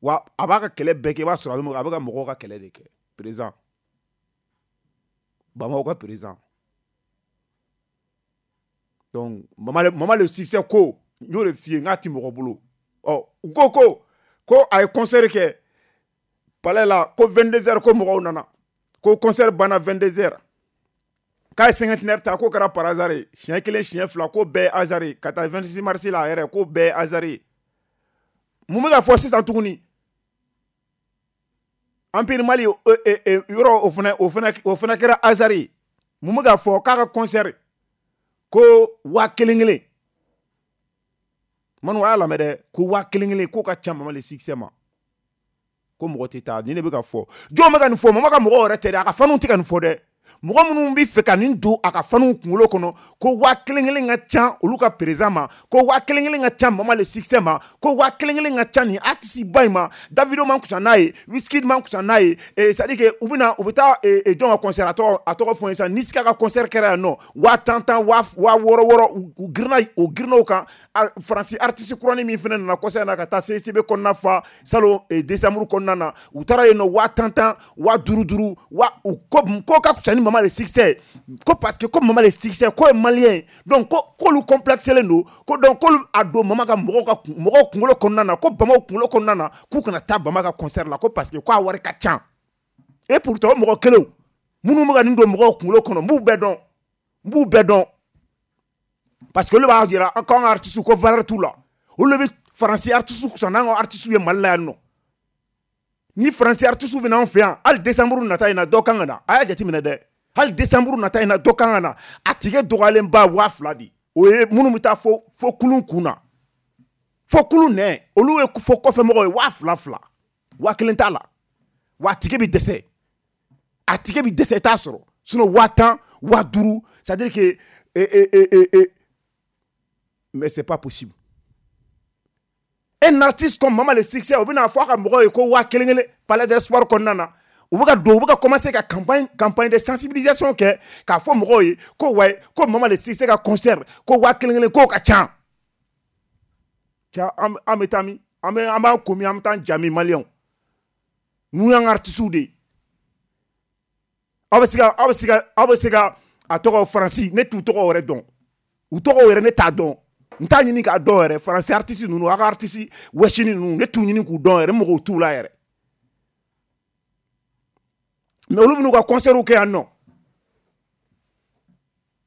Wa a b'a ka kɛlɛ bɛɛ kɛ, i b'a sɔrɔ a bɛ a bɛ ka mɔgɔw ka kɛlɛ de kɛ. Président, Bamako ka président. Donc Mama le, Mama le succès ko n y'o de f'i ye, n k'a ti mɔgɔ bolo. Ɔ u ko ko ko a ye concert kɛ palais la, ko vingt-deux heures ko mɔgɔw nana, ko concert banna vingt-deux heures, k'a ye cinquantenaire ta, k'o kɛra par hasard ye, siɲɛ kelen siɲɛ fila, k'o bɛɛ ye hasard ye, ka taa vingt-six mars la a yɛrɛ, k'o bɛɛ ye hasard ye. Mun bɛ ka fɔ sisan tuguni? Empire Mali yɔrɔ, o fana o fana o fana kɛra hasard ye. Mun bɛ ka fɔ k'a ka concert ko waa kelen kelen, Manu a y'a lamɛn dɛ, ko waa kelen kelen k'o ka ca Mama le succès ma, ko mɔgɔ tɛ taa. Nin de bɛ ka fɔ. Jɔn bɛ ka nin fɔ? Mama ka mɔgɔw yɛrɛ tɛ dɛ, a ka faniw tɛ ka nin fɔ dɛ. Mɔgɔ minnu bɛ fɛ ka nin don a ka faniw kunkolo kɔnɔ ko waa kelen kelen ka ca olu ka président ma, ko waa kelen kelen ka ca Mama le succès ma, ko waa kelen kelen ka ca nin artiste ba in ma, Davido man kusa n'a ye, Wizkid man kusa n'a ye, c'est à dire que u bɛna u bɛ taa jɔn ka concert, a tɔgɔ a tɔgɔ fɔ n ye sisan, Niska ka concert kɛra yan nɔ, waa tan tan, waa waa wɔɔrɔ wɔɔrɔ, u girinna u girinna o kan. Faransi artiste kuranin min fana nana concert na ka taa C C B kɔnɔna fa salon décembre kɔnɔna na, u taara yen nɔ waa tan tan, waa duuru duuru, waa u ko ko ka kusa ni Mama le succès, ko parce que ko Mama le succès ko ye malien, donc ko k'olu complexelen don, ko donc k'olu a don Mama ka mɔgɔw ka mɔgɔw kunkolo kɔnɔna na, ko Bamaw kunkolo kɔnɔna na, k'u kana taa Bama ka concert la, ko parce que k'a wari ka ca. Et pourtant o mɔgɔ kelenw minnu bɛ ka nin don mɔgɔw kunkolo kɔnɔ, n b'u bɛɛ dɔn, n b'u bɛɛ dɔn. Parce que olu b'a jira k'an ka artiste ko valeur t'u la. Olu bɛ faransi artiste kusa n'an ka artiste ye Mali la yan nɔ. Ni faransi artiste bɛ n'anw fɛ yan, hali décembre nata in na dɔ kan ka na. A y'a jateminɛ dɛ. Hali décembre nata in na dɔ kan ka na. A tigɛ dɔgɔyalenba waa fila de. O ye minnu bɛ taa fo fo kulun kun na. Fo kulun nɛ, olu ye fo kɔfɛmɔgɔw ye waa fila fila. Waa kelen t'a la. Wa a tigɛ bɛ dɛsɛ. A tigɛ bɛ dɛsɛ i t'a sɔrɔ. Sinon waa tan, waa duuru, c'est à dire que eh, eh, eh, eh, mais c'est pas possible. Un artiste comme Mama le Succès, o bɛna fɔ a ka mɔgɔw ye ko waa kelen kelen palais des sports kɔnɔna na. U bɛ ka don, u bɛ ka commencer ka campagne campagne de sensibilisation kɛ k'a fɔ mɔgɔw ye ko wayi, ko Mama le Succès ka concert ko waa kelen kelen k'o ka ca. Cɛ, an an bɛ taa min? An bɛ an b'an ko min, an bɛ taa jami maliyɛnw. Ninnu y'an ka artistes de ye. Aw bɛ se ka aw bɛ se ka aw bɛ se ka a tɔgɔ Faransi, ne t'u tɔgɔ yɛrɛ dɔn. U tɔgɔ yɛrɛ ne t'a dɔn. N t'a ɲini k'a dɔn yɛrɛ. Faransi artiste ninnu, aw ka artiste wɛsini ninnu, ne t'u ɲini k'u dɔn yɛrɛ, n mɔgɔw t'u la yɛrɛ. Mais olu bɛn'u ka concert kɛ yan nɔ.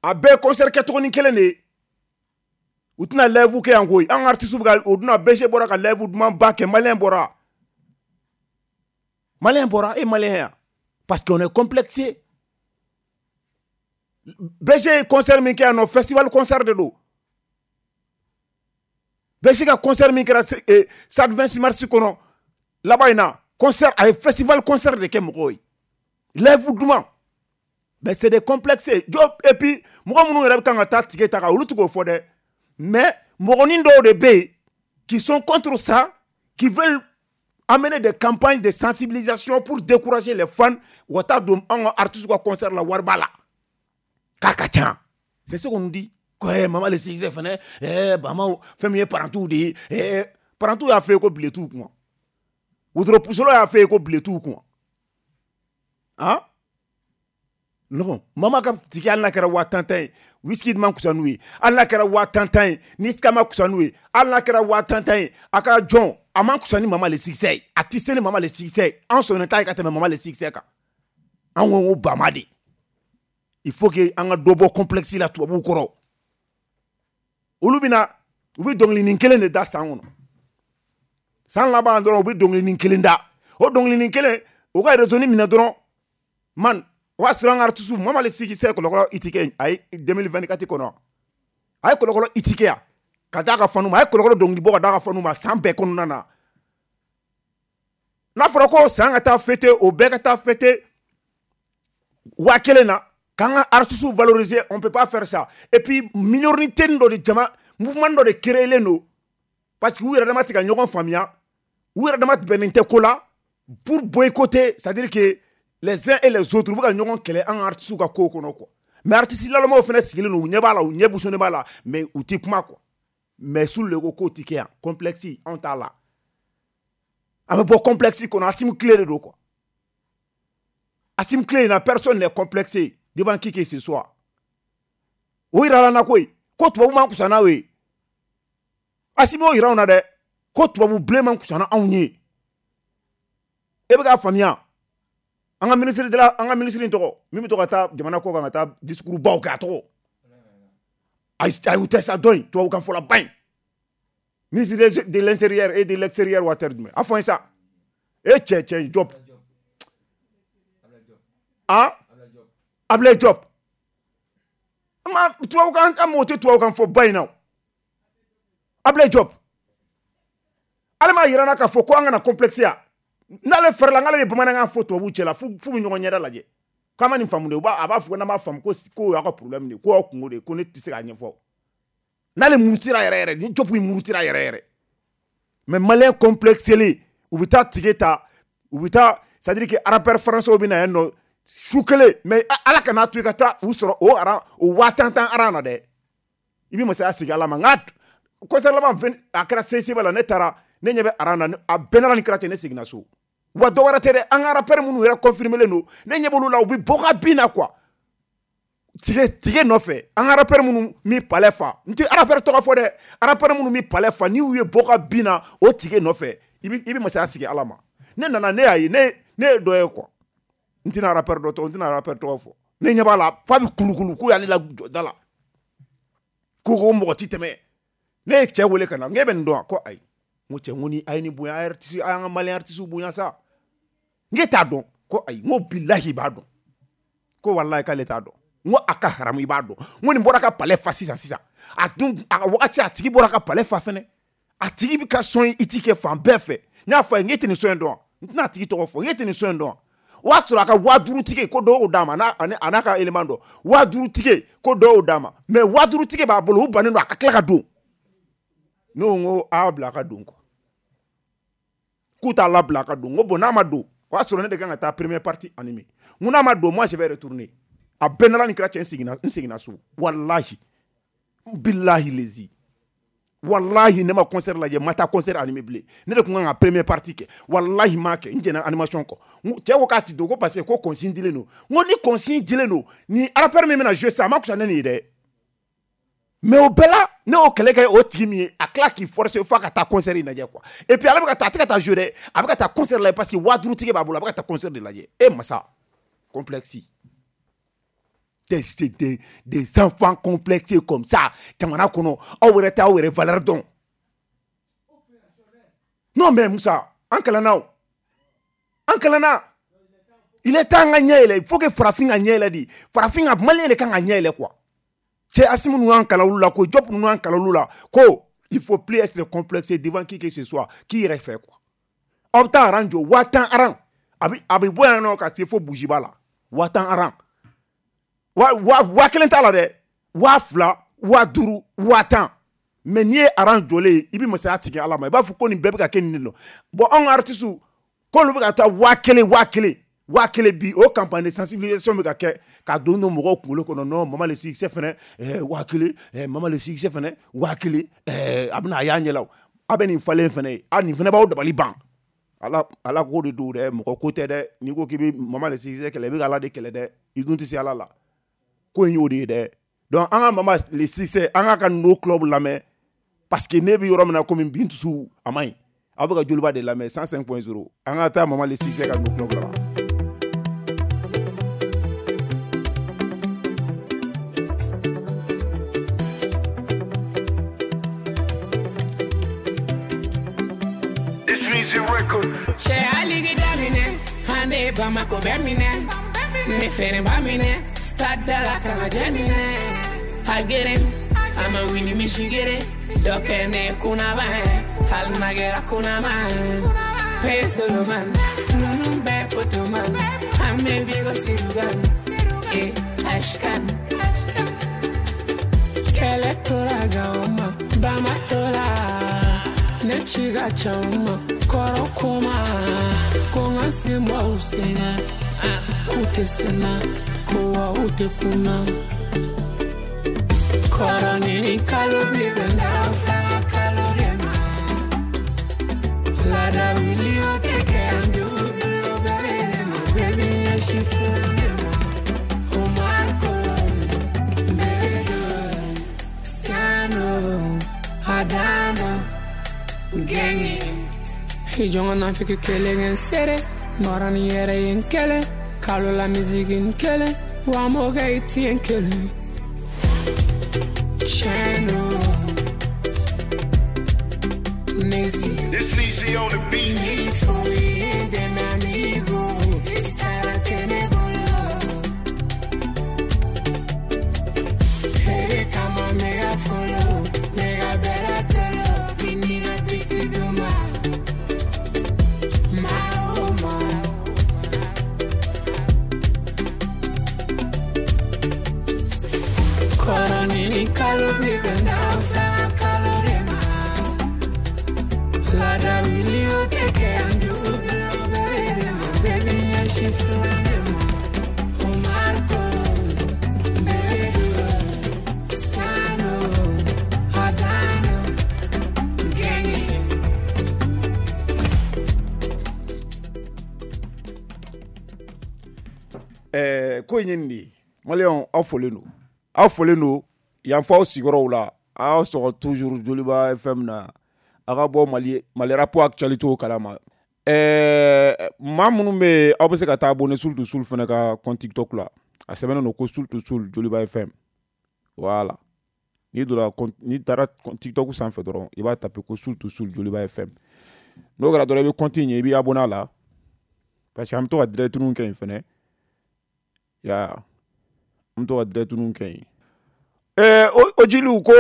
A bɛɛ ye concert kɛcogonin kelen de ye. U tɛna live kɛ yan koyi. An ka artiste bɛ ka o dun B G bɔra ka live dumanba kɛ, maliyɛn bɔra. Maliyɛn bɔra, e maliyɛn yan. Parce qu'on est complexé. B G ye concert min kɛ yan nɔ, festival concert de don. B G ka concert min kɛra stade vingt-six mars kɔnɔ laban in na, concert a ye festival concert de kɛ mɔgɔw ye. Live duman. Mais c'est des complexés. Et puis mɔgɔ minnu yɛrɛ bɛ kan ka taa tigɛ ta kan, olu tɛ k'o fɔ dɛ. Mais mɔgɔnin dɔw de bɛ yen qui sont contre ça, qui veulent amener des campagnes de sensibilisation pour décourager les fans u ka taa don an ka artistes ka concert la wari b'a la. K'a ka ca. C'est ce qu'on nous dit. Ko eh, Mama le Succès fɛnɛ, eh, Bamaw fɛn min ye parantiw de ye, eh, parantiw y'a fɔ ye ko bile t'u kun. Wotoro pusolo y'a fɔ ye ko bile t'u kun. Han? Non, Mama ka tigi hali n'a kɛra waa tan tan ye, whisky man kusa n'u ye. Hali n'a kɛra waa tan tan ye, Niska ma kusa n'u ye. Hali n'a kɛra waa tan tan ye, a ka jɔn, a man kusa ni Mama le Succès ye. A tɛ se ni Mama le Succès ye. An sɔnnen t'a ye ka tɛmɛ Mama le Succès kan. An ko ko Bama de. Il faut que an ka dɔ bɔ complexe la tubabuw kɔrɔ. Olu bɛna, u bɛ dɔnkilinin kelen de da san kɔnɔ. San laban dɔrɔn u bɛ dɔnkilinin kelen da. O dɔnkilinin kelen, u ka réseau minɛ dɔrɔn, man, o b'a sɔrɔ an ka artiste Mama le Succès kɔlɔkɔlɔ i ti kɛ a ye deux mille vingt-quatre kɔnɔ. A ye kɔlɔkɔlɔ i ti kɛ yan ka d'a ka fanu ma, a ye kɔlɔkɔlɔ dɔnkili bɔ ka d'a ka fanu ma san bɛɛ kɔnɔna na. N'a fɔra ko san ka taa fêter, o bɛɛ ka taa fêter waa kelen na, k'an ka artistes valoriser, on peut pas faire ça. Et puis minorité dɔ de jama, mouvement dɔ de créelen don parce que u yɛrɛ dama tɛ ka ɲɔgɔn faamuya, u yɛrɛ dama bɛnnen tɛ ko la pour boycotter, c'est-à-dire que les uns et les autres u bɛ ka ɲɔgɔn kɛlɛ an ka artistes ka kow kɔnɔ quoi. Mais artistes lalɔmaw fana sigilen don, u ɲɛ b'a la, u ɲɛ busonnen b'a la, mais u tɛ kuma quoi. Mais sur le ko k'o tɛ kɛ yan, complexe anw t'a la. An bɛ bɔ complexe kɔnɔ, Assimi tile de don quoi. Assimi tile in na, personne n'est complexé devant qui que ce soit. O yira la na koyi, ko tubabu man kusa n'aw ye. Assimi y'o yira anw na dɛ, ko tubabu bilen man kusa n'anw ye. E bɛ k'a faamuya. An ka ministre de la, an ka ministre in tɔgɔ, min bɛ to ka taa jamana kɔ kan ka taa discours baw kɛ, a tɔgɔ. Ayi, ayi, u tɛ sa dɔn in, tubabukan fɔla ba in. Ministre de l'intérieur et de l'extérieur waati jumɛn? A fɔ n ye sa. E cɛ cɛ Diop. Ah? Ablaye Diop. Ma tubabukan, an mago tɛ tubabukan fɔ ba in na. Ablaye Diop. Ale m'a yira n na k'a fɔ ko an kana complexe ya. N'ale fɛrɛ la, n'ale bɛ bamanankan fɔ tubabuw cɛ la, f'u bɛ ɲɔgɔn ɲɛda lajɛ. K'an ma nin faamu de, u b'a a b'a fɔ n'an m'a faamu ko k'o y'aw ka problème de ye, k'o y'aw kungo de ye, ko ne tɛ se k'a ɲɛfɔ. N'ale murutira yɛrɛ yɛrɛ, ni Diop in murutira yɛrɛ yɛrɛ. Mais malien complexé, u bɛ taa tige ta, u bɛ taa, c'est à dire que rappeur français bɛ na yan nɔ su kelen, mais ala kana to i ka taa u sɔrɔ o aran, o waa tan tan aran na dɛ. I bɛ masaya sigi ala ma. Nka concert laban a kɛra C C B la, ne taara, ne ɲɛ bɛ aran na, a bɛɛ nana ni kɛra ten, ne seginna so. Wa dɔ wɛrɛ tɛ dɛ, an ka rappeur minnu yɛrɛ confirmé len don, ne ɲɛ b'olu la, u bɛ bɔ ka bin na quoi. Tige tige nɔfɛ, an ka rappeur minnu mi palais fa, n tɛ rappeur tɔgɔ fɔ dɛ, rappeur minnu mi palais fa, n'i y'u ye bɔ ka bin na o tige nɔfɛ, i bɛ i bɛ masaya sigi ala ma. Ne nana, ne y'a ye, ne ne ye dɔ ye quoi. N tɛna rappeur dɔ tɔgɔ, n tɛna rappeur tɔgɔ fɔ. Ne ɲɛ b'a la, f'a bɛ kulukulu k'u y'ale la jɔ da la. Ko ko mɔgɔ ti tɛmɛ. Ne ye cɛ wele ka na, n k'e bɛ nin dɔn wa? Ko ayi. N ko cɛ, n ko ni a ye nin bonya, a ye artiste, a y'an ka malien artiste bonya sa. N k'e t'a dɔn. Ko ayi. N ko bilahi i b'a dɔn. Ko walahi k'ale t'a dɔn. N ko a ka haramu i b'a dɔn. N ko nin bɔra ka palais fa sisan sisan. A dun a wagati a tigi bɔra ka palais fa fɛnɛ. A tigi bɛ ka son i ti kɛ fan bɛɛ fɛ. N y'a fɔ a ye n k'e tɛ nin son in dɔn wa? N tɛna a tigi tɔgɔ fɔ. N k'e tɛ nin son in dɔn wa? O y'a sɔrɔ a ka waa duuru tigi ko dɔw y'o d'a ma n'a a n'a ka élément dɔ. Waa duuru tigi ko dɔw y'o d'a ma. Mais waa duuru tigi b'a bolo, u bannen don a ka tila ka don. Ne ko n ko a y'a bila a ka don quoi. K'u t'a labila a ka don. N ko bon n'a ma don, o y'a sɔrɔ ne de kan ka taa première partie animer. N ko n'a ma don, moi je vais retourner. A bɛɛ n'Ala ni kira cɛ, n seginna n seginna so. Walahi. Bilahi lezi. Wallahi ne ma concert lajɛ, ma taa concert animé bilen. Ne de tun kan ka première partie kɛ. Wallahi ma kɛ, n jɛnna animation kɔ. Cɛ ko k'a ti don ko parce que ko consigne dilen don. N ko ni consigne dilen don, ni rappeur min bɛna jouer sisan, a ma fisa ne nin ye dɛ. Mais o bɛɛ la, ne y'o kɛlɛ kɛ o tigi min ye, a tila k'i forcer f'a ka taa concert in lajɛ quoi. Et puis ale bɛ ka taa, a tɛ ka taa jouer dɛ, a bɛ ka taa concert lajɛ parce que waa duuru tigi b'a bolo, a bɛ ka taa concert de lajɛ. E masa, complexe. Des, des, des enfants complexés comme ça. Jamana kɔnɔ, aw yɛrɛ tɛ aw yɛrɛ valeur dɔn. Non mais Moussa, an kalanna o. An kalanna. Il est temps ka ɲɛ yɛlɛ. Il faut que farafin ka ɲɛ yɛlɛ de. Farafin ka malien de kan ka ɲɛ yɛlɛ quoi. Cɛ Assimi ninnu y'an kalan olu la ko Diop ninnu y'an kalan olu la ko il faut plus être complexé devant qui que ce soit k'i yɛrɛ fɛ quoi. Aw bɛ taa rang jɔ waa tan rang. A bɛ a bɛ bɔ yan nɔ ka se fo Bujiba la. Waa tan rang. Wa wa wa kelen t'a la dɛ, waa fila, waa duuru, waa tan. Mais n'i ye aran jɔlen ye, i bɛ masaya sigi Ala ma, i b'a fɔ ko nin bɛɛ bɛ ka kɛ nin de nɔ. Bon anw ka artistes k'olu bɛ ka taa waa kelen waa kelen waa kelen bi, o campagne de sensibilisation bɛ ka kɛ ka don don mɔgɔw kunkolo kɔnɔ. Non Mama le succès fɛnɛ ɛɛ waa kelen, ɛɛ Mama le succès fɛnɛ waa kelen, ɛɛ a bɛna a y'a ɲɛ la o. A bɛ nin falen fɛnɛ ye, a nin fɛnɛ b'aw dabali ban. Ala Ala ko de don dɛ, mɔgɔ ko tɛ dɛ. N'i ko k'i bɛ Mama le succès kɛlɛ, i bɛ ka Ala de kɛlɛ dɛ. I dun tɛ se Ala la. Ko in y'o de ye dɛ. Donc an ka Mama le succès, an k'a ka No Club lamɛn parce que ne bɛ yɔrɔ min na komi bi n dusu a man ɲi. Aw bɛ ka Joliba de lamɛn cent cinq point zéro. An ka taa Mama le succès ka No Club la. This music record. Cɛ hali daminɛ, an de Bamako bɛ minɛ, ne fɛnɛ b'a minɛ. Stade la kana jɛminɛ, a gere, a ma wuli misi gere, dɔ kɛ ne kunaba ye, hali n'a kɛra kunama ye. Pe Soloman, ninnu bɛɛ potoman, an bɛ Vigo Sirugan, e Ashkan. Kɛlɛ tora Gawo ma, Bama tora, ne ci ka ca u ma, kɔrɔ kuma, ko n ka sen bɔ u sen na, k'u tɛ se n na. Kowa ute kuna Kɔrɔ ni kalo mi bɛ na fara kalo de ma Lada wuli o tɛ kɛ an duuru bɛɛ de ma Baby ɲɛsin fún de ma O Marco Bedo Sano Adano Genge I jɔn ka nafiki kelen kɛ n sere Nɔrɔ ni yɛrɛ ye n kelen Kalo la musique n kelen Wa mɔgɔ i ti n kelen Channel Nezi This Nezi on the beat. Ni fui de mi amigo Sara tene bolo Here kama mega follow Mega bera tolo Viniga biti duma Ma oh ma Kɔrɔ ni kalo mi bɛ na fara kalo de ma Lada wuli o tɛ kɛ an duuru bɛɛ de ma Baby ɲɛsin fún de ma O Marco Bedo Sano Adano Genge. Ɛɛ ko in ye nin de ye. Maliyɛnw aw folen don. Aw folen don yan fɔ aw sigiyɔrɔw la. Aw sɔgɔ toujours Joliba F M na. A ka bɔ Mali Mali rap actualité kalama. Ɛɛ maa minnu bɛ yen aw bɛ se ka taa abonné Soul to Soul fana ka compte TikTok la. A sɛbɛnnen don ko Soul to Soul Joliba F M. Voilà. N'i donna, n'i taara TikTok sanfɛ dɔrɔn, i b'a taper ko Soul to Soul Joliba F M. N'o kɛra dɔrɔn, i bɛ compte in ye, i b'i abonné a la, parce que an bɛ to ka direct kɛ yen fɛnɛ ya, an bɛ to ka direct kɛ yen. Ɛɛ, o jiliw ko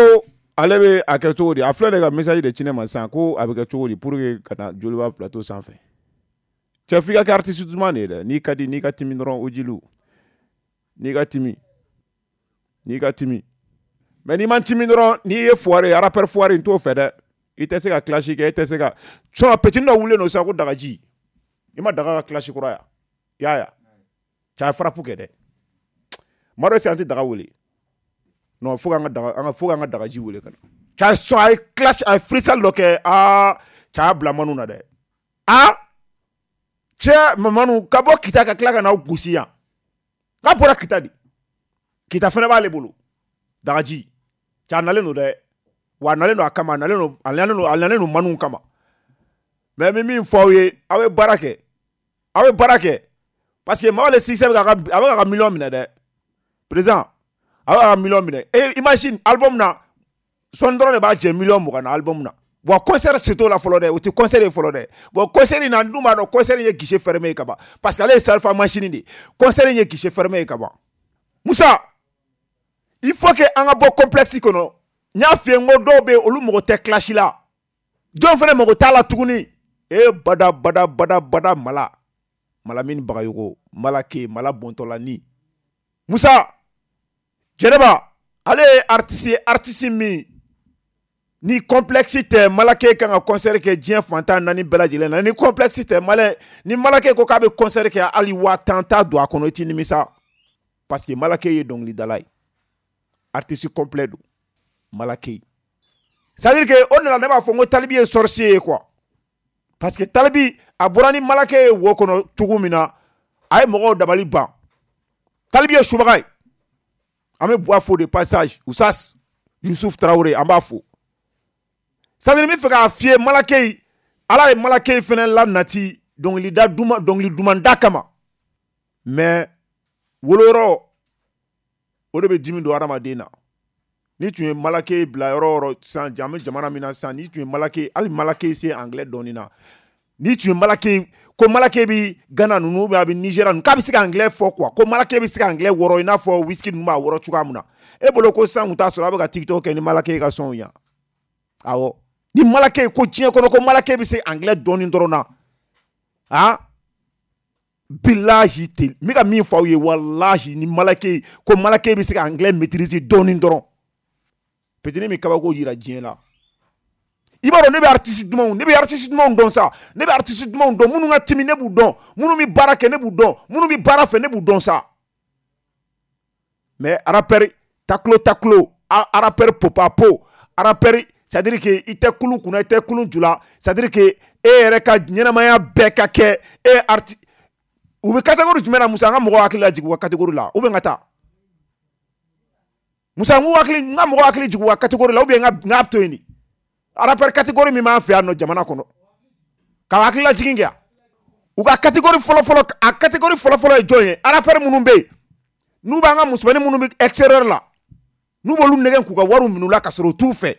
ale bɛ a kɛ cogo di? A filɛ de ka message de ci ne ma sisan ko a bɛ kɛ cogo di pour que ka na Joliba plateau sanfɛ. Cɛ, f'i ka kɛ artiste duman de ye dɛ. N'i ka di, n'i ka timi dɔrɔn, o jiliw, n'i ka timi, n'i ka timi. Mais n'i ma timi dɔrɔn, n'i ye foire ye, rappeur foire, n t'o fɛ dɛ. I tɛ se ka clash kɛ, i tɛ se ka sinon petit dɔ wulilen don sisan ko Dagaji. I ma Daga ka clash kura ya? I y'a ye cɛ, a ye frappe kɛ dɛ. Maa dɔ, an tɛ Daga wele. Non, fo k'an ka Daga, an ka, fo k'an ka Dagaji wele ka na. Cɛ, a ye sɔn, a ye clash, a ye freestyle dɔ kɛ. Aa cɛ, a y'a bila manu na dɛ. Aa cɛ, Mamanu ka bɔ Kita ka tila ka n'aw gosi yan. N'a bɔra Kita de, Kita fana b'ale bolo. Dagaji cɛ, a nalen don dɛ. Wa a nalen don a kama, a nalen don, a nalen don, a nalen don manu kama. Mais n bɛ min fɔ aw ye, aw ye baara kɛ, aw ye baara kɛ, parce que Mawale succès bɛ k'a ka, a bɛ k'a ka miliyɔn minɛ dɛ. Président, a bɛ k'a ka miliyɔn minɛ. Et imagine, album na sɔnni dɔrɔn de b'a jɛ miliyɔn mugan na album na. Bon, concert si t'o la fɔlɔ dɛ, o tɛ concert ye fɔlɔ dɛ. Bon, concert in na, n dun b'a dɔn concert in ye guichet fermé ye ka ban, parce que ale ye Salfa machine de ye. Concert in ye guichet fermé ye ka ban. Musa, il faut que an ka bɔ complexe kɔnɔ. N y'a f'i ye n ko dɔw bɛ yen, olu mago tɛ clash la, dɔw fana mago t'a la tuguni. E bada bada bada bada, mala Malamine Bagayogo, Malake mala bɔntɔla ni Musa Jɛnɛba, ale ye artiste ye, artiste min ni complexe tɛ. Malake kan ka concert kɛ diɲɛ fantan naani bɛɛ lajɛlen na. Ni complexe tɛ, malɛ ni Malake ko k'a bɛ concert kɛ, hali waa tan t'a don a kɔnɔ, i t'i nimisa, parce que Malake ye dɔnkilidala ye, artiste complet don Malake. C'est à dire que o de la ne b'a fɔ n ko Talibi ye sorcier ye quoi, parce que Talibi a bɔra ni Malake ye wo kɔnɔ cogo min na, a ye mɔgɔw dabali ban. Talibi ye subaga ye. An bɛ Buwa fo de passage, Usas Yusuf Traoré, an b'a fo. C'est à dire, n bɛ fɛ k'a f'i ye, Malake, Ala ye Malake fɛnɛ la nati dɔnkilida duman, dɔnkili duman da kama. Mais woloyɔrɔ o de bɛ dimi don hadamaden na. Ni tun ye Malake bila yɔrɔ o yɔrɔ sisan, an bɛ jamana min na sisan, ni tun ye Malake, hali Malake se anglais dɔɔnin na, ni tun ye Malake ko Malake bɛ Ghana ninnu ou bien a bɛ Nigéria ninnu, k'a bɛ se ka anglais fɔ quoi, ko Malake bɛ se ka anglais wɔrɔ i n'a fɔ whisky ninnu b'a wɔrɔ cogoya min na, e bolo ko sisan kun t'a sɔrɔ a bɛ ka TikTok kɛ ni Malake ka sɔnw yan. Awɔ, ni Malake ko diɲɛ kɔnɔ ko Malake bɛ se anglais dɔɔnin dɔrɔn na, ah bilahi ten, n bɛ ka min fɔ aw ye, walahi, ni Malake ko Malake bɛ se ka anglais maîtriser dɔɔnin dɔrɔn, petini min kabako yira diɲɛ la. I b'a dɔn, ne bɛ artiste dumanw, ne bɛ artiste dumanw dɔn sa. Ne bɛ artiste dumanw dɔn, minnu ka timi, ne b'u dɔn, minnu bɛ baara kɛ, ne b'u dɔn, minnu bɛ baara fɛ, ne b'u dɔn sa. Mais rappeur taklo taklo, rappeur popapo, rappeur, c'est à dire que i tɛ kulu kunna, i tɛ kulu ju la, c'est à dire que e yɛrɛ ka ɲɛnamaya bɛɛ ka kɛ e arti. U bɛ catégorie jumɛn na, Musa? An ka mɔgɔw hakili lajigin u ka catégorie la, ou bien ka taa, Musa, n k'u hakili, n ka mɔgɔw hakili jigin u ka catégorie la, ou bien n ka, n k'a to yen de. Rappeur catégorie min b'an fɛ yan nɔ jamana kɔnɔ, ka hakili lajigin kɛ u ka catégorie fɔlɔ-fɔlɔ. A catégorie fɔlɔ-fɔlɔ ye jɔn ye? Rappeur minnu bɛ yen n'u b'an ka musomanin minnu bɛ extérieur la, n'u b'olu nɛgɛn k'u ka wariw minɛ u la ka sɔrɔ u t'u fɛ,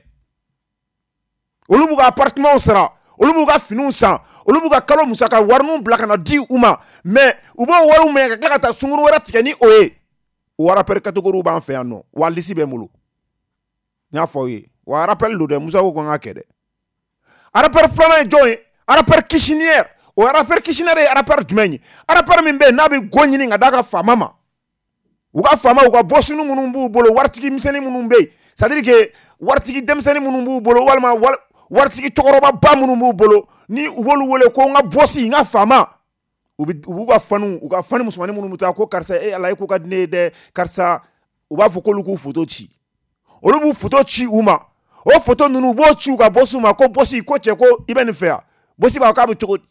olu b'u ka appartement sara, olu b'u ka finiw san, olu b'u ka kalo musaka wariniw bila ka na di u ma, mais u b'o wariw minɛ ka tila ka taa sunkuru wɛrɛ tigɛ ni o ye. O rappeur catégorie b'an fɛ yan nɔ, wa liste bɛ n bolo, n y'a fɔ aw ye. Wa rappel don dɛ, Musa ko ko n k'a kɛ dɛ. Rappeur filanan ye jɔn ye? Rappeur cuisinière. O rappeur cuisinière ye rappeur jumɛn ye? Rappeur min bɛ yen n'a bɛ go ɲini ka d'a ka faama ma, u ka faama, u ka bɔsini minnu b'u bolo, waritigi misɛnnin minnu bɛ yen, c'est à dire que waritigi denmisɛnnin minnu b'u bolo, walima waritigi cɛkɔrɔbaba minnu b'u bolo, ni u b'olu wele ko n ka bɔsi, n ka faama. U bɛ, u b'u ka fanu, u ka fani musomanin minnu bɛ taa ko karisa, e Ala, e ko ka di ne ye dɛ, karisa. U b'a fɔ k'olu k'u photo ci, olu b'u photo ci u ma. O photo ninnu, u b'o ci u ka bɔsiw ma ko bɔsi, ko cɛ, ko i bɛ nin fɛ yan. Bɔsi b'a fɔ k'a bɛ cogo di?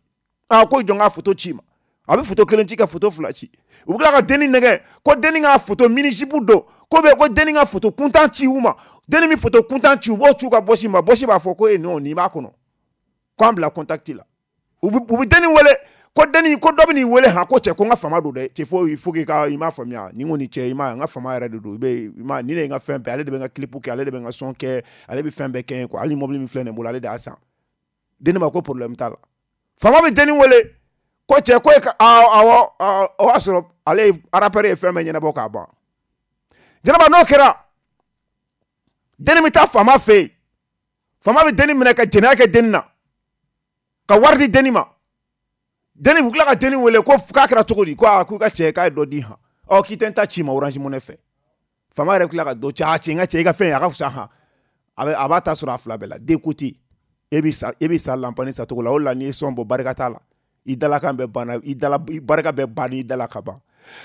Aa, ko jɔn ka photo ci ma. A bɛ photo kelen ci, ka photo fila ci. U bɛ tila ka denni nɛgɛ ko denni ka photo mini-jupe don, ko bɛ ko denni ka photo kuntan ci u ma. Denni min photo kuntan ci, u b'o ci u ka bɔsi ma. Bɔsi b'a fɔ ko e non, nin b'a kɔnɔ, k'an bila contact la. U bɛ, u bɛ denni wele. Ko denni ko dɔ bɛ n'i wele han, ko cɛ ko n ka fama don dɛ, cɛ fo il faut que ka i m'a faamuya, ni n kɔni cɛ i ma n ka fama yɛrɛ de don, i bɛ i ma ni ne ye n ka fɛn bɛɛ, ale de bɛ n ka clip kɛ, ale de bɛ n ka son kɛ, ale bɛ fɛn bɛɛ kɛ n ye quoi, hali mobili min filɛ nin bolo ale de y'a san. Denni ma ko problème t'a la. Fama bɛ denni wele ko cɛ ko e ka awɔ o y'a sɔrɔ ale ye rappeur ye fɛn bɛɛ ɲɛnabɔ k'a ban. Jɛnɛba n'o kɛra, denni bɛ taa faama fɛ yen, faama bɛ denni minɛ ka jɛnɛya kɛ denni na, ka wari di denni ma. Denni u tila ka denni wele ko k'a kɛra cogo di, ko aa k'u ka cɛ k'a ye dɔ di han, ɔ k'i tɛ n ta ci ma Orange Money fɛ. Faama yɛrɛ tila ka dɔ ci, a cɛ n ka cɛ i ka fɛn a ka fisa han, a bɛ a b'a ta sɔrɔ a fila bɛɛ la. Den ko ten, e bɛ sa e bɛ sa lanpani sacogo la, o de la n'i ye sɔn bɔ barika t'a la, i dalakan bɛɛ banna, i dala barika bɛɛ banna i dala ka ban.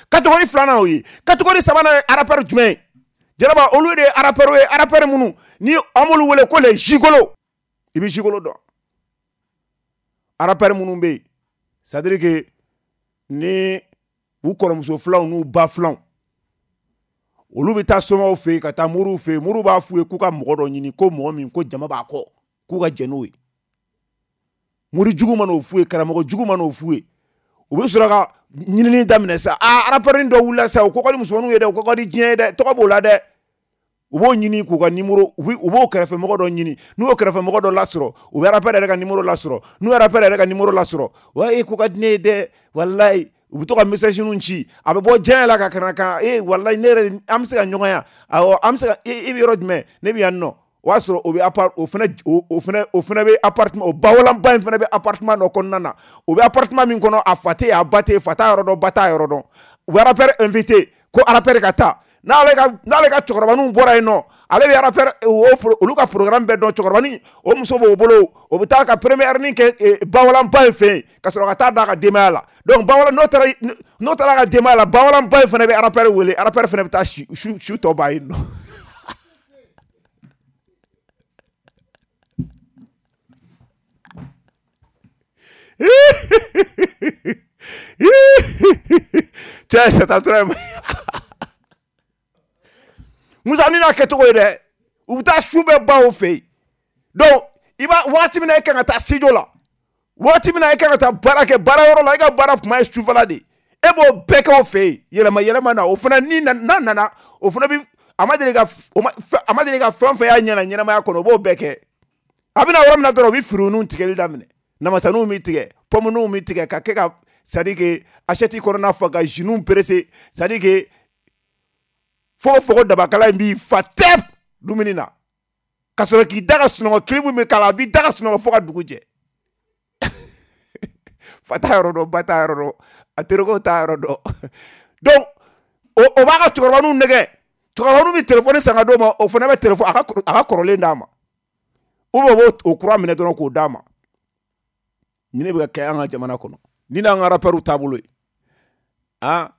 Catégorie filanan o ye. Catégorie sabanan ye rappeur jumɛn ye? Jɛnɛba olu de ye rappeur ye, rappeur minnu ni an b'olu wele ko les gigolos. I bɛ gigolo dɔn? Rappeur minnu bɛ yen, c'est à dire que ni u kɔrɔmuso filanw n'u ba filanw, olu bɛ taa somaw fɛ yen ka taa moriw fɛ yen, moriw b'a f'u ye k'u ka mɔgɔ dɔ ɲini, ko mɔgɔ min ko jama b'a kɔ, k'u ka jɛn n'o ye. Mori jugu man'o f'u ye, karamɔgɔ jugu man'o f'u ye, u bɛ sɔrɔ ka ɲinini daminɛ sa. Aa rappeur dɔ wulila sa, o ko ka di musomaninw ye dɛ, o ko ka di diɲɛ ye dɛ, tɔgɔ b'o la dɛ. U b'o ɲini k'u ka numéro, u b'o kɛrɛfɛmɔgɔ dɔ ɲini, n'u y'o kɛrɛfɛmɔgɔ dɔ lasɔrɔ, u bɛ rappeur yɛrɛ ka numéro lasɔrɔ, n'u ye rappeur yɛrɛ ka numéro lasɔrɔ, wa e ko ka di ne ye dɛ, walayi, u bɛ to ka message ninnu ci, a bɛ bɔ diɲɛ la ka kana kan, e walayi ne yɛrɛ an bɛ se ka ɲɔgɔn ya, awɔ an bɛ se ka e bɛ yɔrɔ jumɛn, ne bɛ yan nɔ. O y'a sɔrɔ o bɛ appart o fana o fana o fana bɛ appartement, o bawalanba in fana bɛ appartement dɔ kɔnɔna na, o bɛ appartement min kɔnɔ a fa tɛ yen, a ba tɛ yen, fa t'a yɔrɔ dɔn, ba t'a yɔrɔ dɔn. U bɛ rappeur invité ko rappeur ka taa, n'ale ka n'ale ka cɛkɔrɔbaninw bɔra yen nɔ, ale bɛ rappeur olu ka programme bɛɛ dɔn, cɛkɔrɔbanin o muso b'o bolo, o bɛ taa ka première ni kɛ bawalanba in fɛ yen ka sɔrɔ ka taa d'a ka denbaya la. Donc bawalan n'o taara n'o taara a ka denbaya la, bawalanba in fana bɛ rappeur wele, rappeur fana bɛ taa su su tɔ ban yen nɔ. Cɛ c'est à toi. Musa ni n'a kɛcogo ye dɛ, u bɛ taa su bɛɛ ban o fɛ yen. Donc i b'a waati min na e kan ka taa studio la, waati min na e kan ka taa baara kɛ baara yɔrɔ la, e ka baara kuma ye sufɛla de ye, e b'o bɛɛ kɛ o fɛ yen, yɛlɛma yɛlɛma na o fana ni n'a nana o fana bi a ma deli ka a ma deli ka fɛn fɛn y'a ɲɛna ɲɛnamaya kɔnɔ, o b'o bɛɛ kɛ. A bɛna yɔrɔ min na dɔrɔn, u bɛ firininw tigɛli daminɛ, namasaninw bɛ tigɛ, pɔmuninw bɛ tigɛ, ka kɛ ka c'est à dire que assiette kɔnɔna fa ka jus presser, c'est à dire que fo fo dabakala in b'i fa tɛp dumuni na, ka sɔrɔ k'i da ka sunɔgɔ, kilimu bɛ k'a la, a b'i da ka sunɔgɔ fo ka dugu jɛ. Fa t'a yɔrɔ dɔn, ba t'a yɔrɔ dɔn, a terikɛw t'a yɔrɔ dɔn. Donc o o b'a ka cɛkɔrɔbaninw nɛgɛ, cɛkɔrɔbaninw bɛ telefɔni san ka d'o ma, o fana bɛ telefɔni a ka a ka kɔrɔlen d'a ma, ou bien o b'o o kura minɛ dɔrɔn k'o d'a ma. Nin de bɛ ka kɛ an ka jamana kɔnɔ, ni n'an ka rappeurs taabolo ye. Ah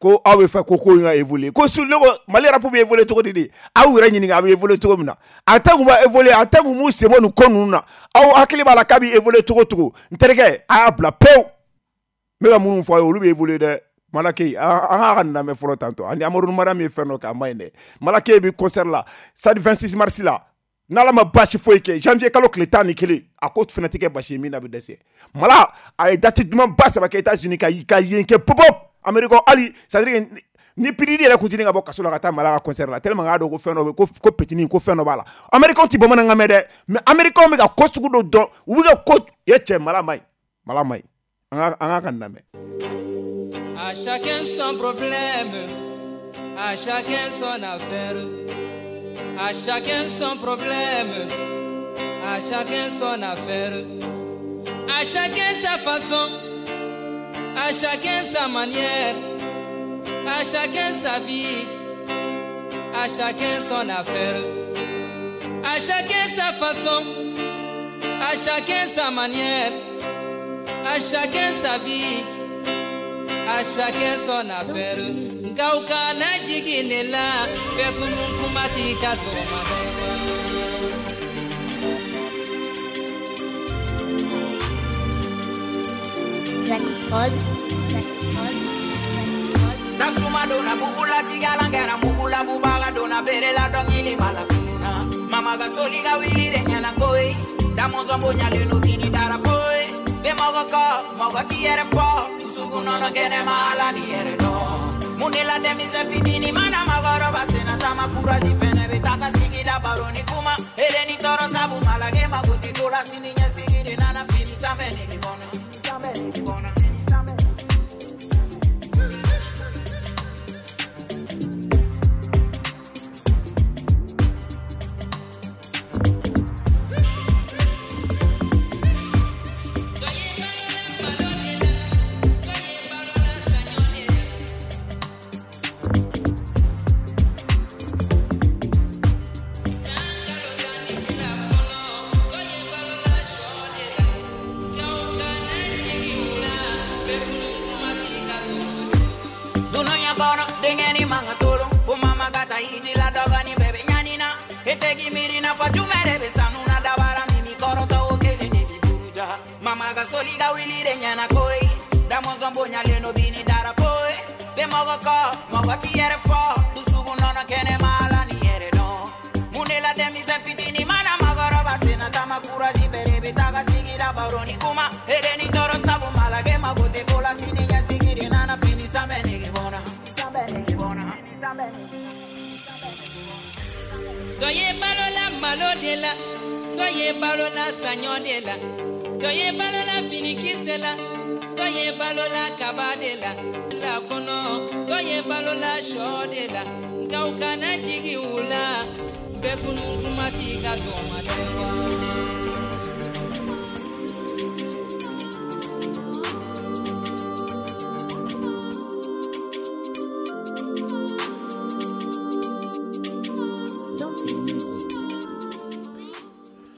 ko aw bɛ fɛ ko ko in ka évoluer, ko su ne ko Mali rap bɛ évoluer cogo di de, aw yɛrɛ ɲininka a bɛ évoluer cogo min na, a tɛ kun b'a évoluer, a tɛ kun m'u sen bɔ nin ko ninnu na, aw hakili b'a la k'a bɛ évoluer cogo cogo, n terikɛ a y'a bila pewu. N bɛ ka minnu fɔ aw ye olu bɛ évoluer dɛ. Malake an k'a ka nin lamɛn fɔlɔ tantɔ, ani Amadu Mariam ye fɛn dɔ kɛ a ma ɲi dɛ. Malake bɛ concert la stade vingt-six mars la, n'Ala ma baasi foyi kɛ, janvier kalo tile tan ni kelen, a ko fana tɛ kɛ basi ye min na bɛ dɛsɛ. Mala a ye date duman ba saba kɛ États-Unis ka ka yen kɛ pop-up Amérique, hali c'est à dire que ni P D D yɛrɛ kun tɛ ka bɔ kaso la ka taa Mala ka concert la, tellement k'a dɔn ko fɛn dɔ bɛ ko ko petini ko fɛn dɔ b'a la. Américains ti bamanankan mɛn dɛ, mais Américains bɛ ka ko sugu dɔ dɔn, u bɛ ka ko ye cɛ Mala ma ɲi, Mala ma ɲi. An ka an ka ka nin lamɛn. À chacun son problème, à chacun son affaire. À chacun son problème, à chacun son affaire. À chacun sa façon, à chacun sa manière. À chacun sa vie, à chacun son affaire. À chacun sa façon, à chacun sa manière. À chacun sa vie, à chacun son affaire. Nkauka na jigine la, fekunu kumati kasoma. Jack Prod, Jack Prod, Jack Prod. Nasuma dona bubula tigalangera mubula bubala dona berela dongili mala kununa. Mama gasoli ga wili de nyana koi. Damozo mbonya leno bini dara koi. Demago mɔgɔ kɔ mɔgɔ ti yɛrɛ fɔ dusukun nɔnɔ kɛnɛma ala ni yɛrɛ dɔn mun de la denmisɛn fitinin mana makɔrɔba senna taama kurazi fɛnɛ bɛ taa ka sigi la baro ni kuma ere ni tɔɔrɔ sabu malage mago tɛ ko la sini ɲɛsigi de nana fini sanfɛ nege bɔnna sanfɛ nege bɔnna.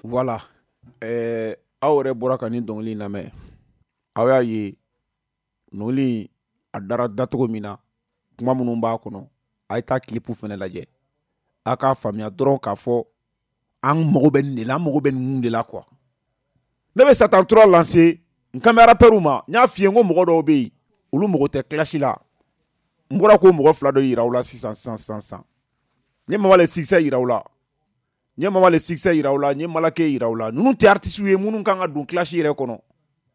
Voilà, eh, aw yɛrɛ bɔra ka nin dɔnkili in lamɛn, aw y'a ye dɔnkili a dara dacogo min na, kuma minnu b'a kɔnɔ, a ye taa clip fɛnɛ lajɛ, a k'a faamuya dɔrɔn k'a fɔ an mago bɛ nin de la, an mago bɛ ninnu de la quoi. Ne bɛ Satan trois lancer n kan bɛ rappeurs ma, n y'a f'i ye n ko mɔgɔ dɔw bɛ yen olu mago tɛ clash la, n bɔra k'o mɔgɔ fila dɔ yira aw la sisan sisan sisan sisan, n ye Mama le succès yira aw la. N ye Mama le succès yira aw la, n ye Malake yira aw la. Ninnu tɛ artistes ye minnu kan ka don clash yɛrɛ kɔnɔ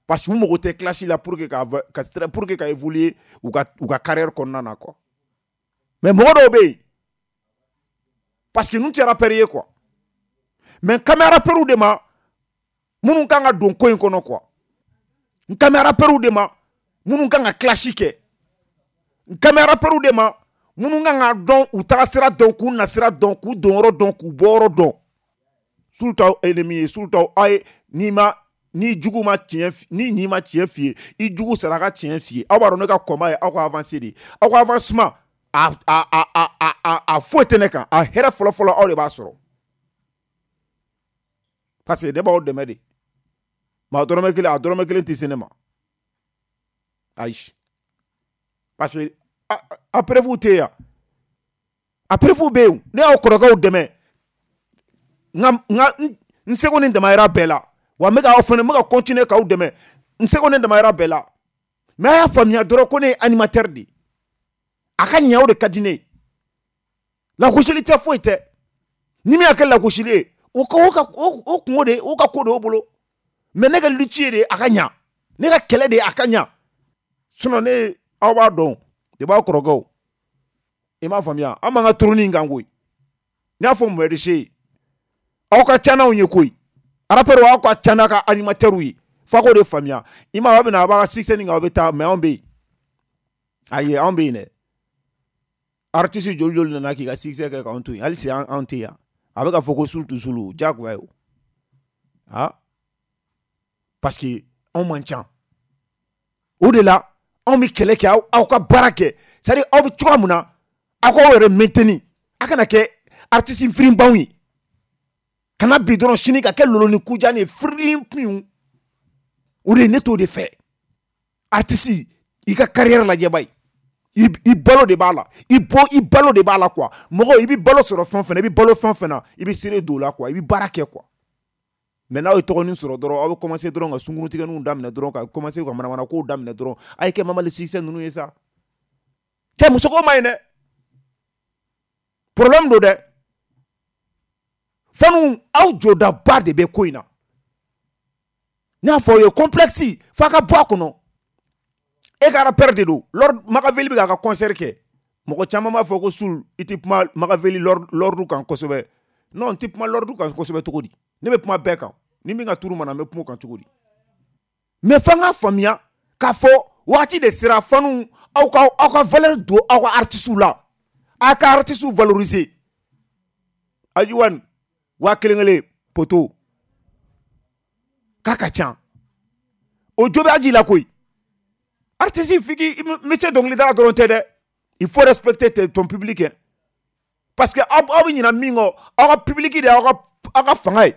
parce que u mago tɛ clash la pour que ka ka pour que ka évoluer u ka u ka carrière kɔnɔna na quoi. Mais mɔgɔ dɔw bɛ yen parce que ninnu tɛ rappeurs ye quoi. Mais n kan bɛ rappeurs de ma minnu kan ka don ko in kɔnɔ quoi. N kan bɛ rappeurs de ma minnu kan ka clash kɛ. N kan bɛ rappeurs de ma minnu kan ka dɔn u taga sira dɔn k'u nasira dɔn k'u donyɔrɔ dɔn k'u bɔyɔrɔ dɔn. Sulu t'aw ennemi ye, sulu t'aw aw ye n'i ma ni jugu ma tiɲɛ ni ɲi ma tiɲɛ f'i ye i jugu sara ka tiɲɛ f'i ye. Aw b'a dɔn ne ka combat ye aw ka avancer de ye, aw ka avancement a a a a a a foyi tɛ ne kan, a hɛrɛ fɔlɔ-fɔlɔ aw de b'a sɔrɔ parce que ne b'aw dɛmɛ de. Mais a dɔrɔmɛ kelen a dɔrɔmɛ kelen tɛ se ne ma, ayi, parce que a a preuve tɛ yan, a preuve bɛ yen. Ne y'aw kɔrɔkɛw dɛmɛ n ka n ka n seko ni damayira bɛɛ la, wa n bɛ k'aw fana n bɛ ka continuer k'aw dɛmɛ n seko ni damayira bɛɛ la. Mais a y'a faamuya dɔrɔn ko ne ye animateur de ye, a ka ɲɛ o de ka di ne ye. Lagosili tɛ foyi tɛ, ni min y'a kɛ lagosili ye o ka o ka o kungo de o ka ko de y'o bolo. Mais ne ka lutte ye de a ka ɲa, ne ka kɛlɛ de a ka ɲa. Sinon ne aw b'a dɔn de b'aw kɔrɔkɛw, i m'a faamuya, an b'an ka trône in kan koyi. N y'a fɔ Mɔyɛrisi ye, aw ka ca n'anw ye koyi, rappeurs aw ka ca n'a ka animateurs ye, f'a k'o de faamuya. I m'a ye aw bɛ na aw b'a ka succès nin kan aw bɛ taa, mais anw bɛ yen, ayi anw bɛ yen dɛ. Artiste joli joli nana k'i ka succès kɛ k'anw to yen, hali sisan anw tɛ yan. A bɛ ka fɔ ko sulu sulu diyagoya ye o, ah, parce que anw man ca. O de la anw bɛ kɛlɛ kɛ, aw aw ka baara kɛ, c'est à dire aw bɛ cogoya min na aw k'aw yɛrɛ maintenir, a kana kɛ artiste firinbanw ye, kana bi dɔrɔn sini ka kɛ lolo ni kujan ye firin piw. O de ne t'o de fɛ. Artiste i ka carrière lajɛ ba ye, i balo de b'a la, i bɔ i balo de b'a la quoi. Mɔgɔ i bɛ balo sɔrɔ fɛn fɛn na, i bɛ balo fɛn fɛn na, i bɛ seere don o la quoi, i bɛ baara kɛ quoi. Mais n'aw ye tɔgɔnin sɔrɔ dɔrɔn aw bɛ commencer dɔrɔn ka sunkurutigɛninw daminɛ dɔrɔn ka commencer ka manamanakow daminɛ dɔrɔn, a ye kɛ Mama le succès ninnu ye sa. Cɛ musoko ma ɲi dɛ, problème don dɛ. Fanu aw jɔdaba de bɛ ko in na. N y'a fɔ aw ye, complexe f'a ka bɔ a kɔnɔ. E ka rappeur de don. Lord Makaveli bɛ k'a ka concert kɛ. Mɔgɔ caman b'a fɔ ko Soul, i tɛ kuma Makaveli Lord kan kosɛbɛ. Non, n tɛ kuma Lord kan kosɛbɛ cogo di? Ne bɛ kuma bɛɛ kan. Ni min ka turu mana, n bɛ kuma o kan cogo di? Mais f'an ka faamuya k'a fɔ waati de sera fanu aw ka aw ka valeur don aw ka artistes la. A ka artistes valoriser. Ajiwan waa kelen kelen poto k'a ka ca. O jo bɛ Aji la koyi. Artiste f'i k'i métier dɔnkilidala dɔrɔn tɛ dɛ. Il faut respecter ton public, hein. Parce que aw bɛ ɲinɛ min kɔ, aw ka public de y'aw ka aw ka fanga ye.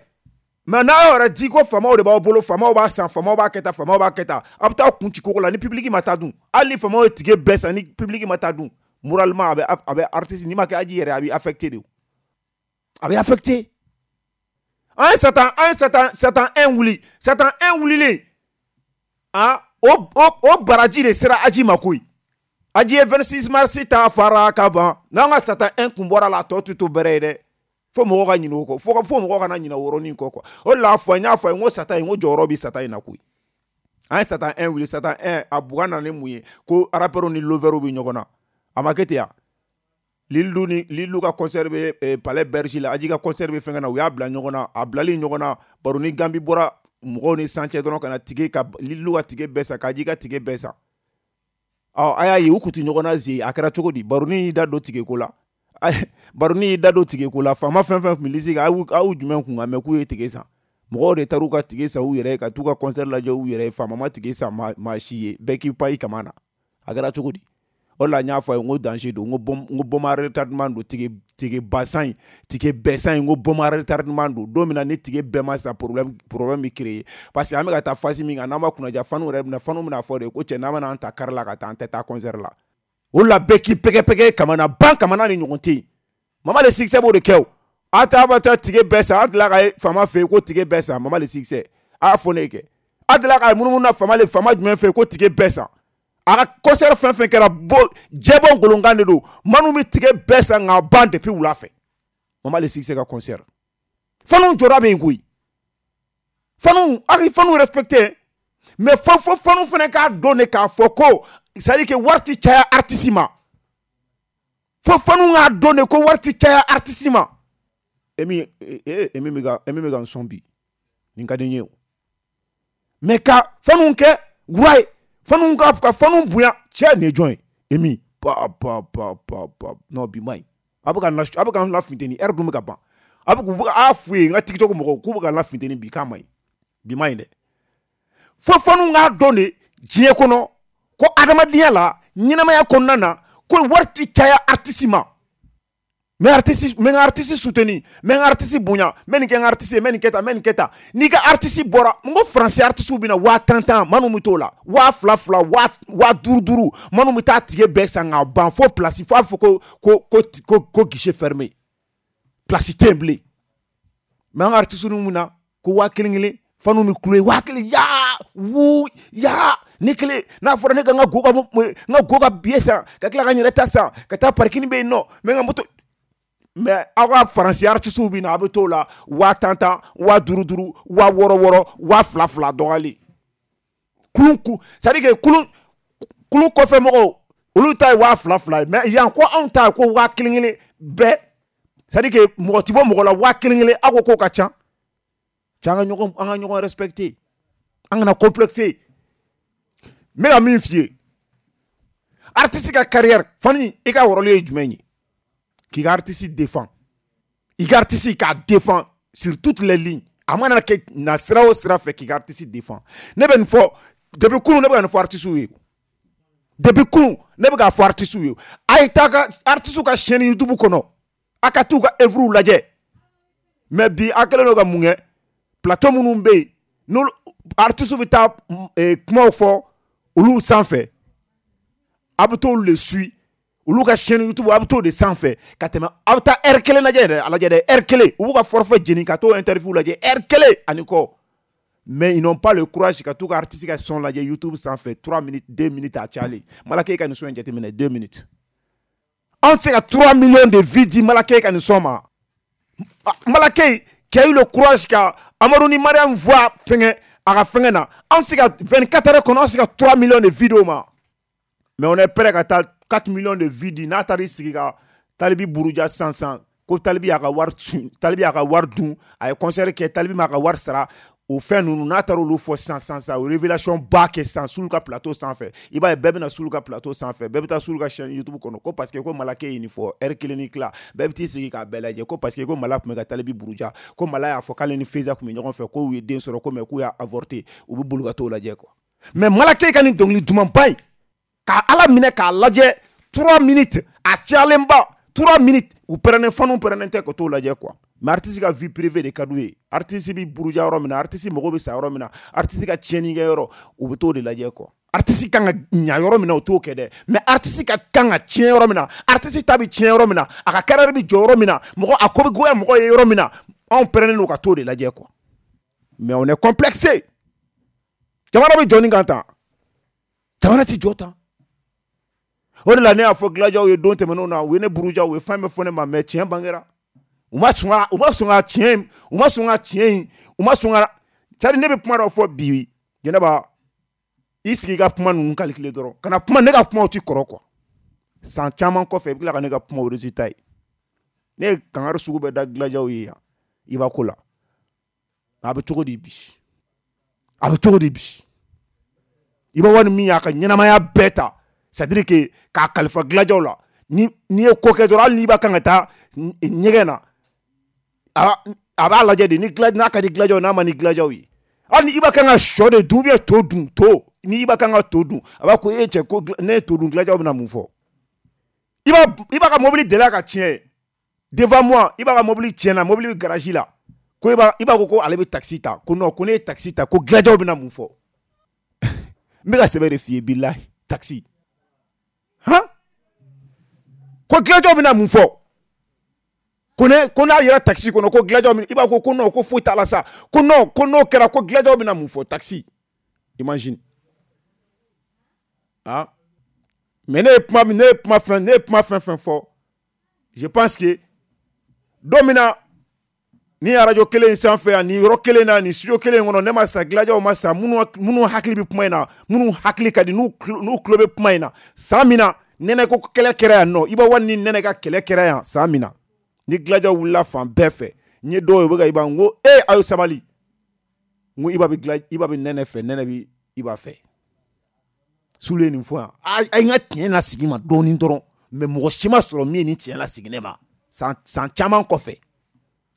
Mais n'a yɛrɛ di ko faamaw de b'aw bolo, faamaw b'a san, faamaw b'a kɛ tan, faamaw b'a kɛ tan, aw bɛ taa kun ci koko la ni public ma taa dun. Hali ni faamaw ye ticket bɛɛ san, ni public ma taa dun, moralement a bɛ a bɛ artiste, n'i ma kɛ Aji yɛrɛ, a b'i affecté de. A bɛ affecté. An ye Satan an ye Satan Satan un wuli, Satan un wulilen, ah, o o o baraji de sera Aji ma koyi. Aji ye vingt-six mars ta fara ka ban. N'an ka Satan un kun bɔra la, a tɔ tɛ to bɛrɛ ye dɛ. Fo mɔgɔw ka ɲinɛ o kɔ, fo fo mɔgɔw kana ɲinɛ o yɔrɔnin kɔ quoi. O de la fɔ n y'a fɔ a ye, n ko Satan in, n ko jɔyɔrɔ bɛ Satan in na koyi. An ye Satan un wuli, Satan un a bugan nana ni mun ye? Ko rappeurs ni lovers bɛ ɲɔgɔn na. A ma kɛ ten ya? Lilou ni Lilou ka concert bɛ eh, Palais Berger la, Aji ka concert bɛ fɛnkɛ na, u y'a bila ɲɔgɔn na. A bilali ɲɔgɔn na, baro ni Gambi bɔra mɔgɔw ni san cɛ dɔrɔn ka na ticket ka Lilou ka ticket bɛɛ san, ka Aji ka ticket bɛɛ san. Ɔ a y'a ye u kun tɛ ɲɔgɔn na ze, a kɛra cogo di? Baroni y'i da don ticket ko la. Baroni y'i da don ticket ko la, faama fɛn fɛn tun bɛ liste kan, aw aw jumɛn kun kan mɛ k'u ye ticket san? Mɔgɔw de taar'u ka ticket san u yɛrɛ ye, ka t'u ka concert lajɛ u yɛrɛ ye. Faama ma ticket san maa si ye, bɛɛ k'i pan i kama na. A kɛra cogo di? O de la n y'a fɔ a ye, n ko danger don, n ko bombe, n ko bombe à retardement don, ticket ticket ba san in, ticket bɛɛ san in, n ko bombe à retardement don. Don min na ni ticket bɛɛ ma san, problème problème bɛ créer, parce que an bɛ ka taa phase min kan, n'an ma kunnaja, fanu yɛrɛ bɛna fanu bɛna fɔ de ko cɛ, n'an bɛna an ta kari la ka taa, an tɛ taa concert la. O de la bɛɛ k'i pɛgɛ-pɛgɛ kamana ban, kamana ni ɲɔgɔn tɛ yen. Mama le succès b'o de kɛ o. A t'a bɛ taa ticket bɛɛ san, a delila ka ye faama fɛ yen ko ticket bɛɛ san. Mama le succès a y'a fɔ ne ye kɛ, a delila ka ye munumunu na faama le faama jumɛn fɛ yen ko ticket bɛɛ san? A ka concert fɛn fɛn kɛra, bo jɛbɔ ngolonkan de don, minnu bɛ ticket bɛɛ san k'a ban depuis wula fɛ. Mama le succès ka concert, fanu jɔra bɛ yen koyi. Fanu a k'i fanu respecté, mais fo fo fanu fana k'a dɔn de k'a fɔ ko c'est à dire que wari ti caya artiste ma. Fo fanu k'a dɔn de ko wari ti caya artiste ma. Emi e emi bɛ ka emi bɛ ka n sɔn bi, nin ka di n ye o. Mais ka fanu kɛ wura ye, fanu ka ka fanu bonya, cɛ nin ye jɔn ye? Emi pa pa pa pa pa, non bi ma ɲi. A bɛ ka n a bɛ ka n lafunteni, heure dun bɛ ka ban. A bɛ k'u bɛ a f'u ye, n ka TikTok mɔgɔw k'u bɛ ka n lafunteni bi, k'a ma ɲi. Bi ma ɲi dɛ. Fo fanu k'a dɔn de diɲɛ kɔnɔ ko adamadenya la, ɲɛnamaya kɔnɔna na, ko wari ti caya artiste ma. N bɛ artiste, n bɛ n ka artiste soutenir, n bɛ n ka artiste bonya, n bɛ nin kɛ n ka artiste ye, n bɛ nin kɛ tan, n bɛ nin kɛ tan. N'i ka artiste bɔra, n ko français artiste bɛ na waa tan tan, minnu bɛ t'o la, waa fila fila, waa waa duuru duuru, minnu bɛ taa ticket bɛɛ san k'a ban fo place, fo a bɛ fɔ ko ko ko ko ko guichet fermé, place tɛ yen bilen. Mais an ka artiste ninnu na ko waa kelen kelen, fanu bɛ kulo ye waa kelen, yaa wu yaa ne kelen. N'a fɔra ne ka n ka go ka n ka go ka billet san, ka tila ka n yɛrɛ ta san, ka taa parking bɛ yen nɔ, n bɛ n ka moto. Mais aw ka faransi artistes bɛ na, a bɛ t'o la waa tan tan, waa duuru duuru, waa wɔɔrɔ wɔɔrɔ, waa fila fila dɔgɔyalen. Kulun ku, c'est à dire que kulun kulun kɔfɛ mɔgɔw olu ta ye waa fila fila ye, mais yan ko anw ta ye ko waa kelen kelen bɛɛ, c'est à dire que mɔgɔ ti bɔ mɔgɔ la waa kelen kelen, aw ko k'o ka ca. Cɛ, an ka ɲɔgɔn an ka ɲɔgɔn respecter, an kana complexer. N bɛ ka min f'i ye, artiste ka carrière fani, i ka rôle ye jumɛn ye? K'i ka artiste défend, i ka artiste k'a défend sur toutes les lignes. A mana kɛ na sira o sira fɛ, k'i ka artiste défend. Ne bɛ nin fɔ depuis kunun, ne bɛ ka nin fɔ artiste ye depuis kunun, ne bɛ k'a fɔ artiste ye. A ye taa ka artiste ka chaîne YouTube kɔnɔ, a ka t'u ka œuvre lajɛ. Mais bi a kɛlen don ka mun kɛ? Plateau minnu bɛ yen, n'olu artiste bɛ taa kumaw fɔ olu sanfɛ, a bɛ t'olu de suit, olu ka chaîne YouTube, a bɛ t'o de sanfɛ ka tɛmɛ. A bɛ taa heure kelen lajɛ yɛrɛ, a lajɛ dɛ, heure kelen, u b'u ka forfait jeni ka t'o interview lajɛ heure kelen ani kɔ. Mais ils n'ont pas le courage ka t'u ka artiste ka son lajɛ YouTube sanfɛ trois minutes, deux minutes a cayalen. Malake ka nin son in jateminɛ, deux minutes. Anw tɛ se ka trois millions de vues di Malake ka nin son ma. Malake qui a eu le courage ka Amadou ni Mariam voix fɛngɛ, A ka fɛngɛ na, an se ka vingt-quatre heures kɔnɔ, an se ka trois millions de vidéos ma. Mais on est prêt ka taa quatre millions de vues di n'a taara i sigi ka Talibi buruja sisan sisan ko Talibi y'a ka wari sun, Talibi y'a ka wari dun, a ye concert kɛ, Talibi m'a ka wari sara. O fɛn ninnu n'a taara olu fɔ sisan sisan sisan, o révélation ba kɛ sisan Sulu ka plateau sanfɛ, i b'a ye bɛɛ bɛna Sulu ka plateau sanfɛ, bɛɛ bɛ taa Sulu ka chaîne YouTube kɔnɔ ko parce que ko Malake ye nin fɔ heure kelen ni tila, bɛɛ bɛ t'i sigi k'a bɛɛ lajɛ ko parce que ko Mala tun bɛ ka Talibi buruja, ko Mala y'a fɔ k'ale ni Feza tun bɛ ɲɔgɔn fɛ, k'u ye den sɔrɔ ko mais k'u y'a avorté, u bɛ boli ka t'o lajɛ quoi. Mais Malake ka nin dɔnkili dumanba in k'a Ala minɛ k'a lajɛ trois minutes, a cayalenba trois minutes, u pɛrɛnnen fanu pɛrɛnnen tɛ ka t'o lajɛ quoi. Mais artiste ka vie privée de ka d'u ye, artiste bi buruja yɔrɔ min na, artiste mago bɛ sa yɔrɔ min na, artiste ka tiɲɛni kɛ yɔrɔ, u bɛ t'o de lajɛ quoi. Artiste kan ka ɲa yɔrɔ min na, u t'o kɛ dɛ. Mais artiste ka kan ka tiɲɛ yɔrɔ min na, artiste ta bɛ tiɲɛ yɔrɔ min na, a ka carrière bɛ jɔ yɔrɔ min na, mɔgɔ a ko bɛ goya mɔgɔ ye yɔrɔ min na, anw pɛrɛnnen don ka t'o de lajɛ quoi. Mais on est complexé. Jamana bɛ jɔ nin kan tan, jamana ti jɔ tan. O de la ne y'a fɔ Gilajaw ye don tɛmɛnenw na, u ye ne buruja, u ye fɛn bɛɛ fɔ ne ma, mais tiɲɛ bangera. U ma sɔn ka, u ma sɔn ka tiɲɛ, u ma sɔn ka tiɲɛ in, u ma sɔn ka, c'est-à-dire ne bɛ kuma dɔ fɔ bi, Jɛnɛba, i sigi i ka kuma ninnu calculer dɔrɔn, kana kuma, ne ka kumaw ti kɔrɔ quoi. San caman kɔfɛ i bɛ tila ka ne ka kumaw résultat ye. Ne ye kangari sugu bɛɛ da Gilajaw ye yan, i b'a ko la. A bɛ cogo di bi? A bɛ cogo di bi? I b'a wari min y'a ka ɲɛnamaya bɛɛ ta, c'est-à-dire que k'a kalifa Gilajaw la, ni n'i ye ko kɛ dɔrɔn, hali n'i b'a kan ka taa ɲɛgɛn na, a b'a lajɛ de ni n'a ka di Gilajaw, n'a ma ni Gilajaw ye. Hali ni i b'a kan ka sɔ de dun ou bien to dun, to ni i b'a kan ka to dun, a b'a ko e cɛ ko ne ye to dun, Gilajaw bɛna mun fɔ? I b'a i b'a ka mobili delila ka tiɲɛ devant moi, i b'a ka mobili tiɲɛna, mobili bɛ garage la, ko i b'a i b'a ko ko ale bɛ taxi ta, ko non, ko ne ye taxi ta, ko Gilajaw bɛna mun fɔ? N bɛ ka sɛbɛn de f'i ye, bilahi, taxi. Han? Ko Gilajaw bɛna mun fɔ? Ko ne ko n'a yɛrɛ taxi kɔnɔ ko Gilajaw bɛna, i b'a ko ko non, ko foyi t'a la sa, ko non, ko n'o kɛra ko Gilajaw bɛna mun fɔ? Taxi. Imagine. Ah. Mais ne ye kuma ne ye kuma fɛn ne ye kuma fɛn fɛn fɔ, je pense que don min na ni arajo kelen in sanfɛ yan, ni yɔrɔ kelen na, ni studio kelen in kɔnɔ, ne ma sa, Gilajaw ma sa, minnu minnu hakili bɛ kuma in na, minnu hakili ka di, n'u n'u tulo bɛ kuma in na, san min na nɛnɛ ko kɛlɛ kɛra yan nɔ, i b'a wari ni nɛnɛ ka kɛlɛ kɛra yan san min na, ni Gilajaw wulila fan bɛɛ fɛ, n ye dɔw ye u bɛ ka Iba, n ko e aw ye sabali, n ko Iba bɛ Gila, Iba bɛ nɛnɛ fɛ, nɛnɛ bɛ Iba fɛ. Sulu ye nin fɔ yan, a ye n ka tiɲɛ lasegin ma dɔɔnin dɔrɔn, mais mɔgɔ si ma sɔrɔ min ye nin tiɲɛ lasegin ne ma san san caman kɔfɛ.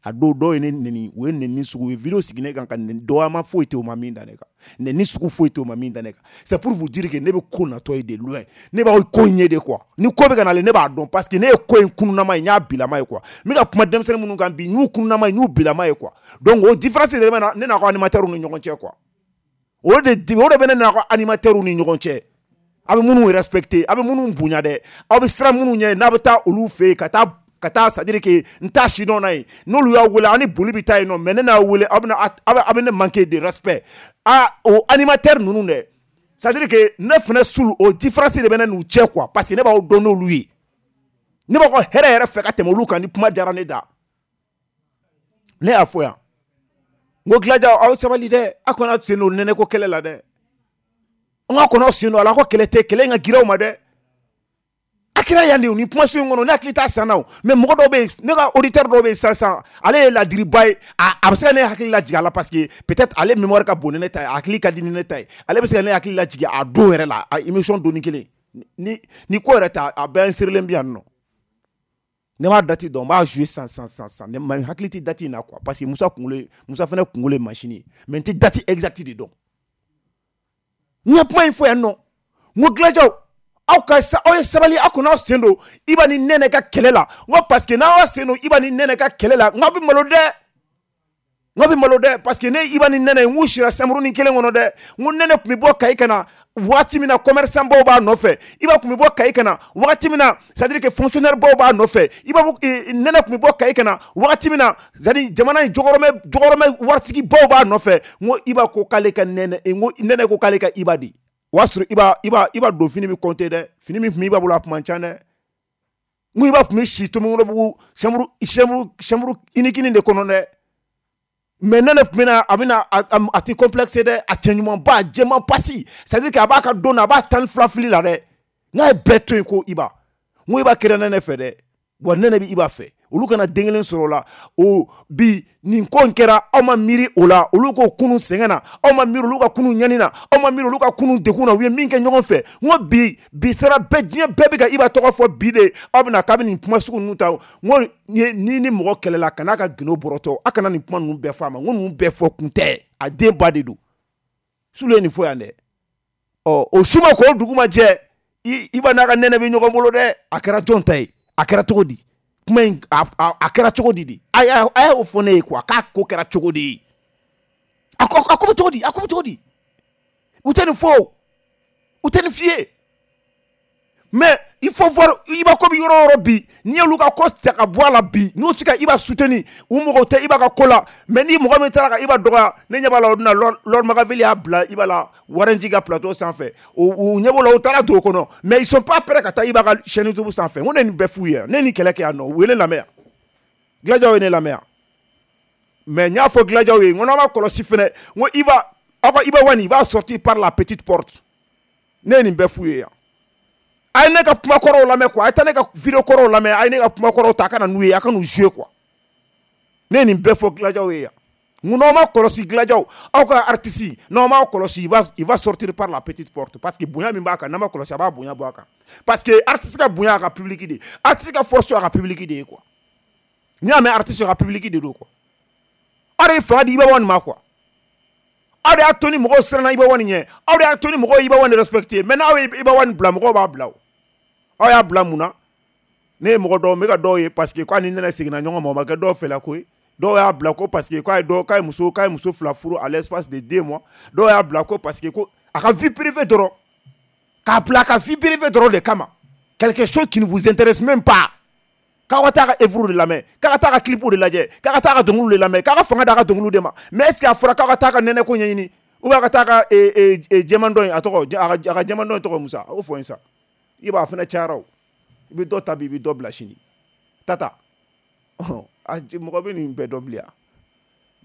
A dɔw dɔw ye ne neni, u ye neni sugu, u ye vidéo sigi ne kan ka neni, dɔgɔyama foyi tɛ u ma min da ne kan, neni sugu foyi tɛ u ma min da ne kan. C'est pour vous dire que ne bɛ ko natɔ ye de loin, ne b'aw ko in ye de quoi. Ni ko bɛ ka nalen, ne b'a dɔn parce que ne ye ko in kunnama ye, n y'a bilama ye quoi. N bɛ ka kuma denmisɛnnin minnu kan bi, n y'u kunnama ye, n y'u bilama ye quoi. Donc o différence de bɛ na ne n'a ka animateur ni ɲɔgɔn cɛ quoi. O de o de bɛ ne n'a ka animateur ni ɲɔgɔn cɛ. A bɛ minnu respecter, a bɛ minnu bonya dɛ, aw bɛ siran minnu ɲɛ n'a bɛ taa olu fɛ yen ka taa ka taa, c'est-à-dire que n t'a si dɔn n'a ye, n'olu y'a wele an ni boli bɛ taa yen nɔ, mais ne n'a wele aw bɛna aw bɛ ne manquer de respect. Ah, o animateur ninnu dɛ, c'est-à-dire que ne fana Sulu, o différence de bɛ ne n'u cɛ quoi, parce que ne b'aw dɔn n'olu ye, ne b'aw ka hɛrɛ yɛrɛ fɛ ka tɛmɛ olu kan. Ni kuma diyara ne da, ne y'a fɔ yan, n ko Gilajaw aw sabali dɛ, aw kana sen don nɛnɛ ko kɛlɛ la dɛ, n ka kɔnɔ sen don a la, ko kɛlɛ tɛ, kɛlɛ in ka girin aw ma dɛ. A kɛra yan de, ni kumaso in kɔnɔ, ne hakili t'a san na o, mais mɔgɔ dɔw bɛ yen, ne ka auditeur dɔw bɛ yen sisan sisan, ale ye ladiriba ye, a a bɛ se ka ne hakili lajigin a la parce que peut-être ale mémoire ka bon ni ne ta ye, a hakili ka di ni ne ta ye, ale bɛ se ka ne hakili lajigin a don yɛrɛ la, a émission donni kelen, ni ni ko yɛrɛ ta, a bɛɛ insérilen bɛ yan nɔ. Ne m'a date dɔn, n b'a jouer sisan sisan sisan sisan, ne ma hakili tɛ date in na quoi, parce que Musa kunkolo, Musa fana kunkolo ye machine ye, mais n tɛ date exacte de dɔn. N ye kuma in fɔ yan nɔ, n ko Gilajaw aw ka aw ye sabali, aw kana aw sen don Iba ni nɛnɛ ka kɛlɛ la, n ko parce que n'aw y'aw sen don Iba ni nɛnɛ ka kɛlɛ la, n k'aw bɛ malo dɛ, n k'aw bɛ malo dɛ, parce que ne Iba ni nɛnɛ, n k'u sira samuruni kelen kɔnɔ dɛ, n ko nɛnɛ tun bɛ bɔ Kayi ka na waati min na, commerçant baw b'a nɔfɛ, Iba tun bɛ bɔ Kayi ka na waati min na, c'est-à-dire que fonctionnaire baw b'a nɔfɛ, Iba nɛnɛ tun bɛ bɔ Kayi ka na waati min na, c'est-à-dire jamana in jɔgɔrɔmɛ jɔgɔrɔmɛ waritigi baw b'a nɔfɛ, n ko Iba ko k'ale ka nɛnɛ, n ko nɛnɛ ko k'ale ka Iba de. O y'a sɔrɔ Iba Iba Iba don fini bɛ compter dɛ, fini min tun bɛ Iba bolo a tun man ca dɛ, n ko Iba tun bɛ si Tomikɔrɔbugu chambre chambre chambre unique de kɔnɔ dɛ, Mais nɛnɛ tun bɛna a bɛna a tɛ complexe dɛ, a cɛ ɲumanba, a jɛman pasi, c'est à dire que a b'a ka don na, a b'a tan ni fila fili la dɛ. N'a ye bɛɛ to yen ko Iba, n ko Iba kɛra nɛnɛ fɛ dɛ, wa nɛnɛ bɛ Iba fɛ. Olu kana den kelen sɔrɔ o la. O bi nin ko in kɛra, aw ma miiri o la, olu ko kunun sɛgɛn na, aw ma miiri olu ka kunun ɲani na, aw ma miiri olu ka kunun degun na, u ye min kɛ ɲɔgɔn fɛ. N ko bi bi sera bɛɛ, diɲɛ bɛɛ bɛ ka Iba tɔgɔ fɔ bi de, aw bɛna k'a bɛ nin kuma sugu ninnu ta. N ko ni ni mɔgɔ kɛlɛla, kan'a ka gindo bɔrɔtɔ, a kana nin kuma ninnu bɛɛ fɔ a ma. N ko ninnu bɛɛ fɔ kun tɛ, a den ba de don. Sulu ye nin fɔ yan dɛ. Ɔ o su ma k'o dugu ma jɛ, Iba n'a ka nɛnɛ bɛ ɲɔgɔn bolo dɛ. A kɛra jɔn ta ye? A kɛra cogo di? Kuma in a a kɛra cogo di de? A y'a a y'o fɔ ne ye quoi, k'a ko kɛra cogo di? A ko a ko bɛ cogo di? A ko bɛ cogo di? U tɛ nin fɔ o, u tɛ nin f'i ye. Mais il faut voir Iba ko bɛ yɔrɔ o yɔrɔ bi, n'i y'olu ka ko ta ka bɔ a la bi, n'u tɛ ka Iba soutenir, u mɔgɔw tɛ Iba ka ko la. Mais ni mɔgɔ min taara ka Iba dɔgɔya, ne ɲɛ b'a la o dun na Lord Magaville y'a bila Iba la Warren G ka plateau sanfɛ. U ɲɛ b'o la, u taara don o kɔnɔ. Mais ils sont pas prêts ka taa Iba ka chaîne YouTube sanfɛ. N ko ne nin bɛɛ f'u ye, ne ni kɛlɛ kɛ yan nɔ, u ye ne lamɛn yan. Gilajaw ye ne lamɛn yan. Mais n y'a fɔ Gilajaw ye, n ko n'aw ma kɔlɔsi fɛnɛ, n ko Iba, aw ka Iba Wani, il va sortir par la petite porte. Ne ye nin bɛɛ f'u ye yan. A ye ne ka kuma kɔrɔw lamɛn quoi, a ye taa ne ka vidéo kɔrɔw lamɛn, a ye ne ka kuma kɔrɔw ta, a ka na n'u ye, a ka n'u jouer quoi. Ne ye nin bɛɛ fɔ Gilajaw ye yan. N ko n'aw ma kɔlɔsi Gilajaw, aw ka artiste, n'aw ma kɔlɔsi, il va il va sortir par la petite porte, parce que bonya min b'a kan, n'a ma kɔlɔsi, a b'a bonya bɔ a kan. Parce que artiste ka bonya a ka public de, artiste ka force a ka public de ye quoi. N'i y'a mɛn artiste ka public de don quoi. Aw de ye fanga di Iba Wani ma quoi. Aw de y'a to ni mɔgɔw siranna Iba Wani ɲɛ, aw de y'a to ni mɔgɔw ye Iba Wani respecté. Mais n'aw ye Iba Wani bila, mɔgɔw b'a bila o. Aw y'a bila mun na? Ne ye mɔgɔ dɔw, n bɛ ka dɔw ye parce que k'a ni nɛnɛ seginna ɲɔgɔn ma, o ma kɛ dɔw fɛla ko ye. Dɔw y'a bila ko parce que k'a ye dɔw k'a ye muso k'a ye muso fila furu à l'espace de deux mois. Dɔw y'a bila ko parce que ko a ka vie privée dɔrɔn, k'a bila a ka vie privée dɔrɔn de kama. Quelque chose qui ne vous intéresse même pas. K'aw ka taa ka œuvre de lamɛn, k'a ka taa ka clip de lajɛ, k'a ka taa ka dɔnkiliw de lamɛn, k'a ka fanga d'a ka dɔnkiliw de ma. Mais est ce que a fɔra k'aw ka taa ka nɛnɛ ko ɲɛɲini, ou bien a ka taa ka jɛman dɔ in, a tɔgɔ, a ka jɛman dɔ in tɔgɔ Musa, o fɔ n ye sa. I b'a fana cayara o, i bɛ dɔ ta bi, i bɛ dɔ bila sini. Tata, mɔgɔ bɛ nin bɛɛ dɔn bilen wa?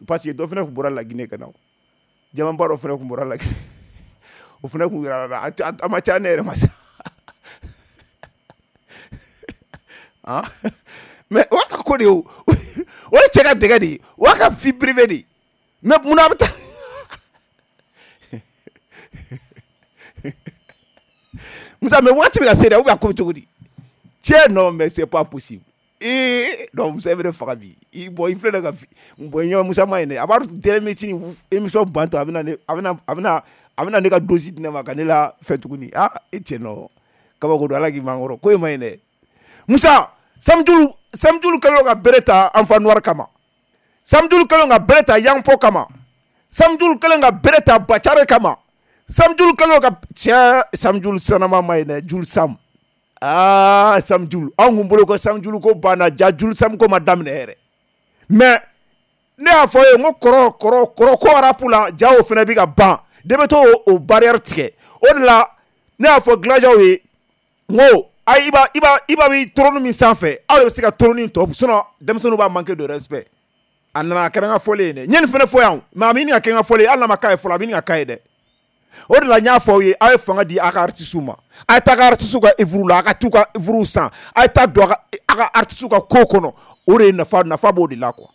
Parce que dɔ fana tun bɔra Laginɛ ka na o, jɛmanba dɔ fana tun bɔra Laginɛ, o fana tun yɛrɛ la, a ma ca ne yɛrɛ ma sa. Ah, mais o y'a ka ko de ye o, o ye cɛ ka dɛgɛ de ye, o y'a ka vie privée de ye. Mais munna a bɛ taa Musa, mais waati bɛ ka se dɛ, ou bien a ko bɛ cogo di? Cɛ non, mais c'est pas possible. Ee non, Musa, e bɛ ne faga bi. I bɔn, i filɛ ne ka bɔn ɲɛ Musa ma ye dɛ. A b'a dɔn dernière minute émission bantɔ, a bɛna ne a bɛna a bɛna a bɛna ne ka dose di ne ma ka ne la fɛn tuguni. Ah e cɛ non, kabako don, Ala k'i man kɔrɔ, ko in ma ɲi dɛ. Musa, Samjulu Samjulu kɛlen don ka bere ta Enfant Noir kama. Samjulu kɛlen don ka bere ta Yangpo kama. Samjulu kɛlen ka bere ta Bacare kama. Samjulu kɛlen don ka cɛ Samjulu sanama ma ye dɛ, Julu Sam. Ah Samjulu, anw kun bolo ko Samjulu ko banna, ja Julu Sam ko ma daminɛ yɛrɛ. Mais ne y'a fɔ ye, n ko kɔrɔ kɔrɔ kɔrɔ ko rap la, ja o fana bɛ ka ban. De bɛ to o barrière tigɛ. O de la ne y'a fɔ Gilajaw ye, n ko a Iba Iba Iba bɛ trône min sanfɛ, aw de bɛ se ka trône tɔ, sinon denmisɛnninw b'a manquer de respect. A nana a kɛra n ka fɔlen ye dɛ. N ye nin fana fɔ yan, mais a bɛ ɲini ka kɛ n ka fɔlen ye, hali n'a ma k'a ye fɔlɔ, a bɛ ɲini ka k'a ye dɛ. O de la n y'a fɔ aw ye, aw ye fanga di a ka artistes ma, a ye taa a ka artistes ka œuvre la, a ka t'u ka œuvre san, a ye taa don a ka a ka artistes ka ko kɔnɔ. O de ye nafa nafa b'o de la quoi.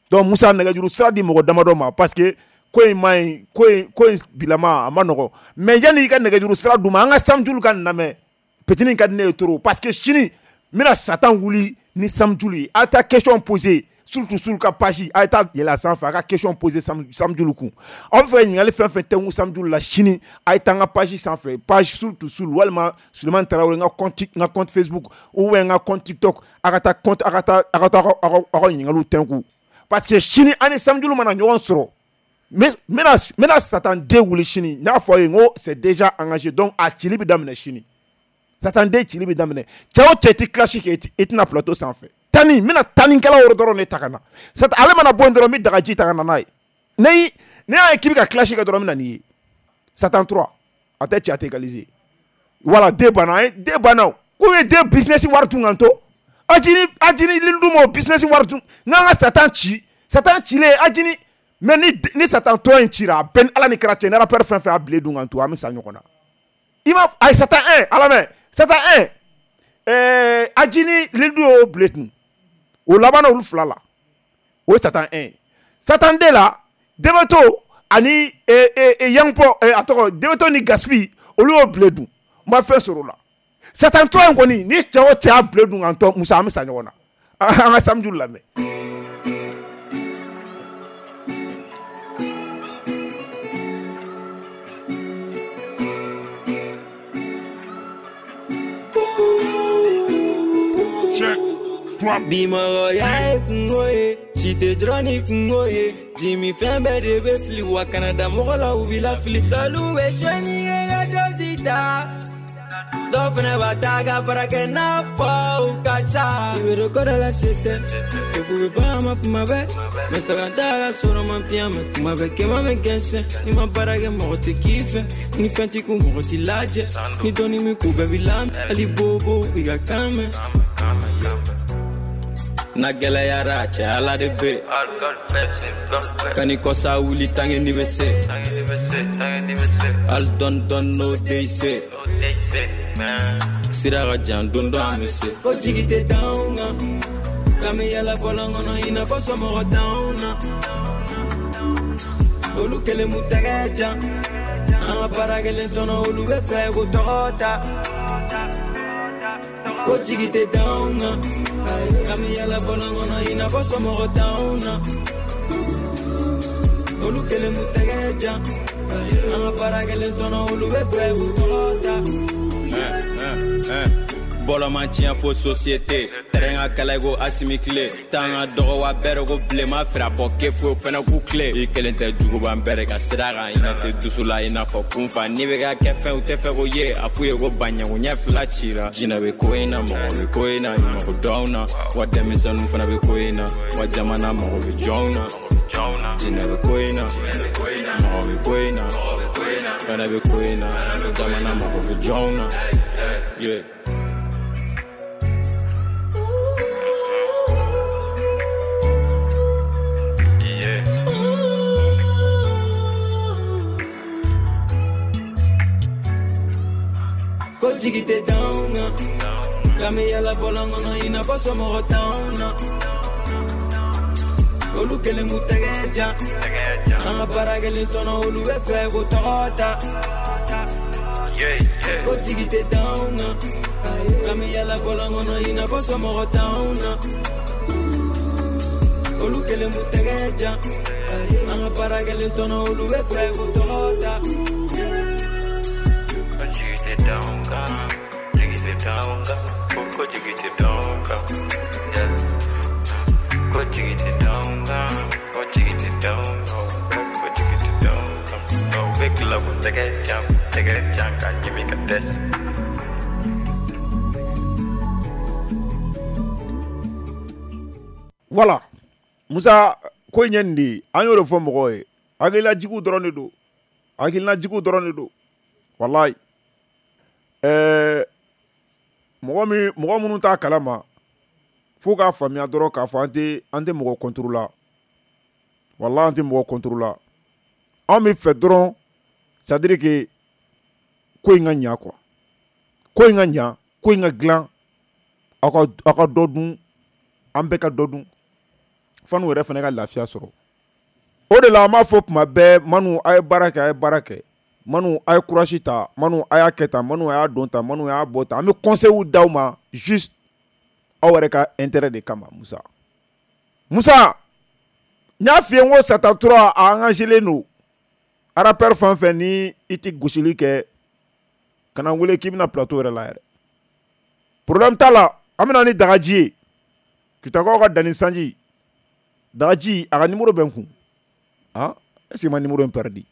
Donc Musa, nɛgɛjuru sira di mɔgɔ damadɔ ma, parce que ko in ma ɲi, ko in ko in bilama a ma nɔgɔn. Mais yanni i ka nɛgɛjuru sira d'u ma, an ka Samjulu ka nin lamɛn. Petini ka di ne ye trop, parce que sini n bɛna Satan wuli ni Samjulu ye. A ye taa question poser surtout sur ka page, a ye taa yɛlɛ a sanfɛ, a ka question poser Samjulu kun. Aw bɛ fɛ ka ɲininkali fɛn fɛn tɛnku Samjulu la sini, a ye taa n ka page sanfɛ, page surtout sur walima Sulemani Tarawele, n ka compte n ka compte Facebook ou bien n ka compte TikTok, a ka taa compte, a ka taa a ka taa aw ka ɲininkaliw tɛnku. Parce que sini an ni Samjulu mana ɲɔgɔn sɔrɔ, n bɛna n bɛna Satan den wuli sini. N y'a fɔ aw ye, n ko c'est déjà engagé, donc a cili bɛ daminɛ sini. Satan den cili bɛ daminɛ. Cɛ o cɛ ti clash kɛ, i tɛna plateau sanfɛ. Tani, n bɛna tanikɛlaw yɔrɔ dɔrɔn de ta ka na. Satan ale mana bɔ yen dɔrɔn, n bɛ dagaji ta ka na n'a ye. Ne ne y'a ye k'i bɛ ka clash kɛ dɔrɔn, n bɛ na n'i ye. Satan trois, a tɛ cɛ, a tɛ égaliser. Voilà, den banna, den banna o. K'u ye den business wari dun kan to. Ajini Ajini Lindu m'o business wari dun. N'an ka Satan ci, Satan cilen Ajini Mais ni ni Satan tɔ in cira, a bɛɛ ni Ala ni kira cɛ, ni rappeur fɛn fɛn y'a bile dun kan to, an bɛ sa ɲɔgɔn na. I ma ayi Satan un ala mɛ Satan un ɛɛ Aji ni Lidu y'o bile tun, o labanna olu fila la, o ye Satan un. Satan deux la, Debeto ani Yangpo, a tɔgɔ Debeto ni Gaspi, olu y'o bile dun, n ma fɛn sɔrɔ o la. Satan trois in kɔni, ni cɛ o cɛ y'a bile dun kan tɔ, Musa an bɛ sa ɲɔgɔn na. An ka samedi lamɛn. Bi mɔgɔya ye kungo ye, si tɛ dɔrɔn ni kungo ye. Jimi fɛn bɛɛ de bɛ fili, wa kana da mɔgɔ la u b'i lafili. Dɔlu bɛ suɲɛ ye ka dɔsi ta, dɔw fana b'a ta ka baara kɛ n'a fɔ u ka sa. I bɛ don ko dɔ la se tɛ, kefu bɛ ban ma kuma bɛɛ. N bɛ fɛ ka taa ka sɔrɔ ma piyan mɛ, kuma bɛɛ kɛma bɛ gɛnsɛn. N'i ma baara kɛ mɔgɔ tɛ k'i fɛ, ni fɛn t'i kun mɔgɔ t'i lajɛ. Ni dɔnni min ko bɛɛ b'i lamɛn, hali bobo i ka kan mɛn. Na gɛlɛyara cɛ Ala de bɛ kan'i kɔsa wuli tange ni bɛ se hali dɔɔni dɔɔni n'o de se sira ka jan don dɔ an bɛ se. Ko jigi tɛ d'anw kan, k'an bɛ yala bɔlɔn kɔnɔ i n'a fɔ somɔgɔ t'anw na. Olu kelen m'u tɛgɛ jan, an ka baara kelen tɔnɔ olu bɛ fɛ k'o tɔgɔ ta. Ko jigi tɛ d'anw kan, k'an bɛ yala bɔlɔn kɔnɔ i n'a fɔ somɔgɔ t'anw na. Olu kelen m'u tɛgɛ jan, an ka baara kelen tɔnɔ olu bɛ fɛ k'u tɔgɔ ta. Bɔlɔ man tiɲɛ fo société, tɛrɛn ka kala i ko Asimi tile, tan ka dɔgɔ wa bɛrɛ ko bilenma fira bɔ ke foyi fɛnɛ k'u tile. I kelen tɛ juguban bɛrɛ ka sira kan, i na tɛ dusu la i n'a fɔ kunfa. N'i bɛ ka kɛ fɛn u tɛ fɛ ko ye, a f'u ye ko baɲago ɲɛ fila cira. Jinɛ bɛ ko in na, mɔgɔ bɛ ko in na, i mago dɔn na, wa denmisɛnninw fana bɛ ko in na, wa jamana mago bɛ jɔnw na. Jinɛ bɛ ko in na, mɔgɔ bɛ ko in na, fɛnɛ bɛ ko in na, jamana mago bɛ jɔnw na. Yeah. Ko jigi tɛ d'anw kan, k'an bɛ yala bɔlɔn kɔnɔ i n'a fɔ somɔgɔ t'anw na. Olu kelen m'u tɛgɛ jan, an ka baara kelen tɔnɔ olu bɛ fɛ k'o tɔgɔ ta. Ko jigi tɛ d'anw kan, k'an bɛ yala bɔlɔn kɔnɔ i n'a fɔ somɔgɔ t'anw na. Olu kelen m'u tɛgɛ jan, an ka baara kelen tɔnɔ olu bɛ fɛ k'o tɔgɔ ta. Voilà, Musa ko in ye nin de ye, an y'o de fɔ mɔgɔw ye, hakilinajigiw dɔrɔn de don, hakilinajigiw dɔrɔn de don, walayi. Ɛɛ mɔgɔ min mɔgɔ minnu t'a kalama, fo k'a faamuya dɔrɔn k'a fɔ an tɛ an tɛ mɔgɔ contre la, walayi an tɛ mɔgɔ contre la. Anw bɛ fɛ dɔrɔn c'est à dire que ko in ka ɲa quoi, ko in ka ɲa, ko in ka dilan, aw ka aw ka dɔ dun, an bɛɛ ka dɔ dun, f'an yɛrɛ fana ka lafiya sɔrɔ. O de la an b'a fɔ tuma bɛɛ, Manu a ye baara kɛ, a ye baara kɛ. Manu a ye courage ta, Manu a y'a kɛ tan, Manu a y'a don tan, Manu a y'a bɔ tan. An bɛ conseil d'aw ma juste aw yɛrɛ ka intérêt de kama. Musa Musa n y'a f'i ye n ko Satan trois a engagé don. Rappeur fɛn fɛn ni i tɛ gosili kɛ, kana n wele k'i bɛna plateau yɛrɛ la yɛrɛ. Problème t'a la, an bɛna ni dagaji ye. Kitakaw ka danni sanji, dagaji a ka numéro bɛ n kun. Ah, est-ce que ma numéro in perdu?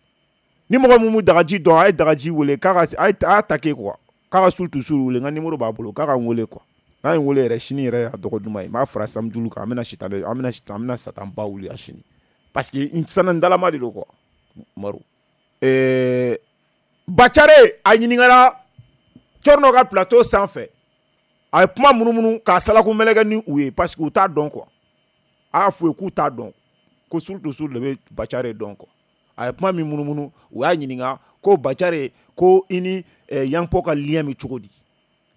Ni mɔgɔ mun dagaji dɔn, a ye dagaji wele k'a ka a y'a take quoi, k'a ka sul tusuru wele, n ka numéro b'a bolo, k'a ka n wele quoi. N'a ye n wele yɛrɛ sini yɛrɛ y'a dɔgɔ duman ye, n b'a fara samedi kan, an bɛna sitanɛ an bɛna sitan an bɛna satan ba wuli a sini. Parce que n sanna n dalama de don quoi, Umaru. Ɛɛ Bacare a ɲininkara Cɔrɔnɔ ka plateau sanfɛ, a ye kuma munumunu k'a salaku mɛlɛkɛ ni u ye parce que u t'a dɔn quoi. A y'a f'u ye k'u t'a dɔn. Ko Soul to Soul de bɛ Bacare dɔn quoi. A ye kuma min munumunu, u y'a ɲininka ko Bacare ko i ni eh, Yanpo ka lien bɛ cogo di?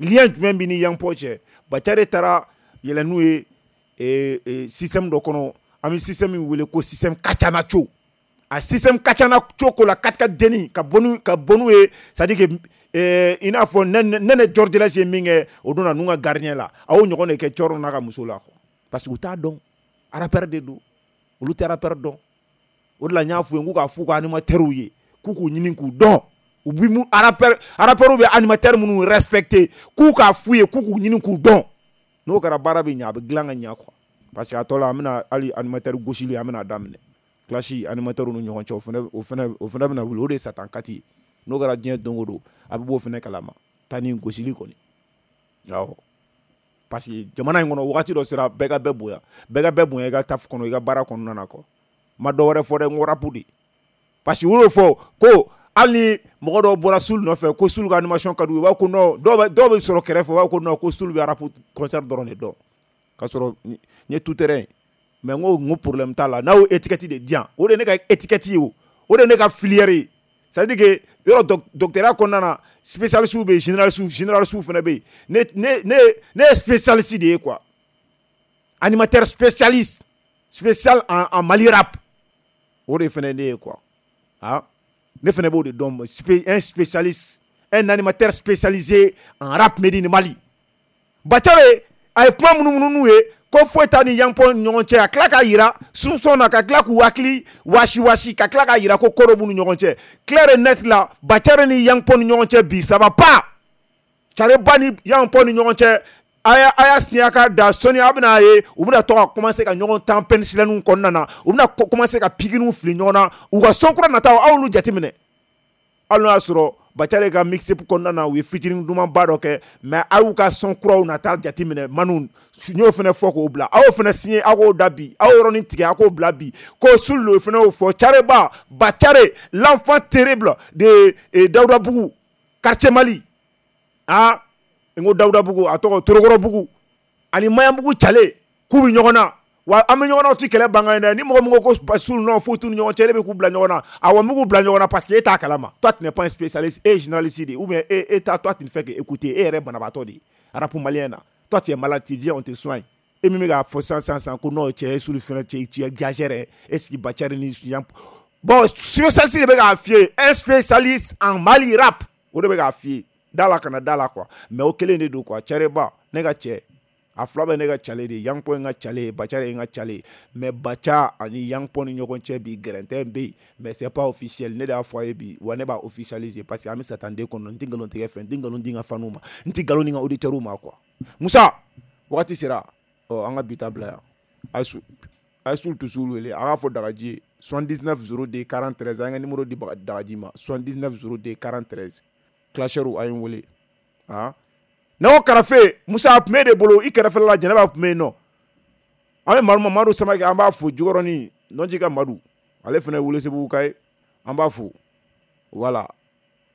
Lien jumɛn b'i ni Yanpo cɛ? Bacare taara yɛlɛ n'u ye eh, eh, système dɔ kɔnɔ, an bɛ système min wele ko système Kacanaco. A système Kacanaco ko la quatre quatre denni ka bɔ n'u ka bɔ n'u ye, c'est à dire que eh, i n'a fɔ ne ne George Less ye min kɛ o don na n'u ka gardien la, a y'o ɲɔgɔn de kɛ Cɔrɔ n'a ka muso la quoi. Parce que u t'a dɔn, rappeur de don, olu tɛ rappeur dɔn. O de la n y'a f'u ye n k'u k'a f'u ka animateurs ye k'u k'u ɲini k'u dɔn. U bi mu rappeur rappeurs bɛ animateur minnu respecter, k'u k'a f'u ye k'u k'u ɲini k'u dɔn. N'o kɛra baara bɛ ɲɛ, a bɛ dilan ka ɲɛ quoi. Parce que a tɔ la an bɛna hali animateur gosili an bɛna daminɛ. Clash animateur ni ɲɔgɔn cɛ, o fana o fana o fana bɛna wuli, o de ye Satan kati ye. N'o kɛra diɲɛ don o don a bɛ bɔ o fana kalama. Taa ni gosili kɔni. Awɔ. Parce que jamana in kɔnɔ wagati dɔ sera bɛɛ ka bɛɛ bonya, bɛɛ ka bɛɛ bonya i ka taf kɔnɔ, i ka baara kɔnɔna na quoi. Ma dɔ wɛrɛ fɔ dɛ, n ko rap de. Parce que u y'o fɔ ko hali ni mɔgɔ dɔw bɔra Soul nɔfɛ ko Soul ka animation ka d'u ye, u b'a fɔ ko non, dɔw bɛ dɔw bɛ sɔrɔ kɛrɛfɛ u b'a fɔ ko non, ko Soul bɛ rap concert dɔrɔn de dɔn. K'a sɔrɔ n ye tout terrain. Mais n ko n ko problème t'a la, n'a y'o étiquette de di yan, o de ye ne ka étiquette ye o, o de ye ne ka filière ye. C'est à dire que yɔrɔ doctorat kɔnɔna na spécialiste bɛ yen, généraliste généraliste fana bɛ yen. Ne ne ne ne ye spécialiste de ye quoi. Animateur spécialiste spécial en en Mali rap. O de fana ye ne ye quoi. Ah, ne fana b'o de dɔn, un spécialiste, un animateur spécialisé en rap made in Mali. Bacare a ye kuma minnu n'u ye ko foyi t'a ni Yanpo ni ɲɔgɔn cɛ, a tila k'a yira sunson na, ka tila k'u hakili wasi wasi, ka tila k'a yira ko ko dɔ b'u ni ɲɔgɔn cɛ. Clair et net la, Bacare ni Yanpo ni ɲɔgɔn cɛ bi ça va pas. Careba ni Yanpo ni ɲɔgɔn cɛ, a y'a a y'a siɲɛ ka da sɔnni a bɛna ye u bɛna to ka commencer ka ɲɔgɔn tan penicilline kɔnɔna na, u bɛna commencer ka pikiriw fili ɲɔgɔn na, u ka son kura nataw aw y'olu jateminɛ. Hali n'o y'a sɔrɔ Bacare ka mixtape kɔnɔna na u ye featuring dumanba dɔ kɛ, mais aw y'u ka son kuraw nata jateminɛ manu, n y'o fana fɔ k'o bila, aw y'o fana signé aw k'o da bi, aw y'o yɔrɔnin tigɛ aw k'o bila bi, ko Soul fana y'o fɔ. Careba Bacare, l'enfant terrible de Dawudabugu quartier Mali, ah n ko Dawudabugu a tɔgɔ Torokɔrɔbugu ani Mayanbugu Cale k'u bɛ ɲɔgɔn na. Wa an bɛ ɲɔgɔn na, o ti kɛlɛ bangan ye dɛ. Ni mɔgɔ min ko ko Soul non foyi t'u ni ɲɔgɔn cɛ, e bɛ k'u bila ɲɔgɔn na. Awɔ, n bɛ k'u bila ɲɔgɔn na parce que e t'a kalama. Toi tu n'es pas un spécialiste, e ye journaliste de ye, ou bien e e ta toi tu ne fais que écouter, e yɛrɛ banabaatɔ de ye rap malien na. Toi tu es malade, tu viens on te soigne. E min bɛ k'a fɔ sisan sisan sisan ko non cɛ ye Soul fɛnɛ cɛ tu exagères, est-ce que Bacare ni Yan bon spécialiste de bɛ k'a f'i ye, un spécialiste en Mali rap, o de bɛ k'a f'i ye. Da la kana da la quoi, mais o kelen de don quoi. Careba ne ka cɛ a fila bɛ ne ka cale de ye, Yanpo ye n ka cale ye, Bacare ye n ka cale ye, mais Baca ani Yanpo ni ɲɔgɔn cɛ bi gɛrɛntɛ bɛ yen, mais c'est pas officiel. Ne de y'a fɔ a ye bi, wa ne b'a officialiser parce que an bɛ Satan den kɔnɔ, n tɛ nkalon tigɛ fɛ, n tɛ nkalon di n ka faniw ma, n tɛ nkalon di n ka auditeurs ma quoi. Musa wagati sera, ɔ an ka bi ta bila yan. A ye a ye Soul to Soul wele, a k'a fɔ Dagaji ye soixante-dix-neuf zéro deux quarante-treize, an ka numéro di Dagaji ma soixante-dix-neuf zéro deux quarante-treize. Clasheurw a ye n wele. Ah ne ko karafe Musa a tun b'e de bolo i kɛrɛfɛla la, Jɛnɛba tun bɛ yen nɔ. An bɛ Madu Madu Samakɛ, an b'a fo Jikɔrɔni Nɔnji ka Madu, ale fana ye Welesebugu ka ye, an b'a fo. Voilà,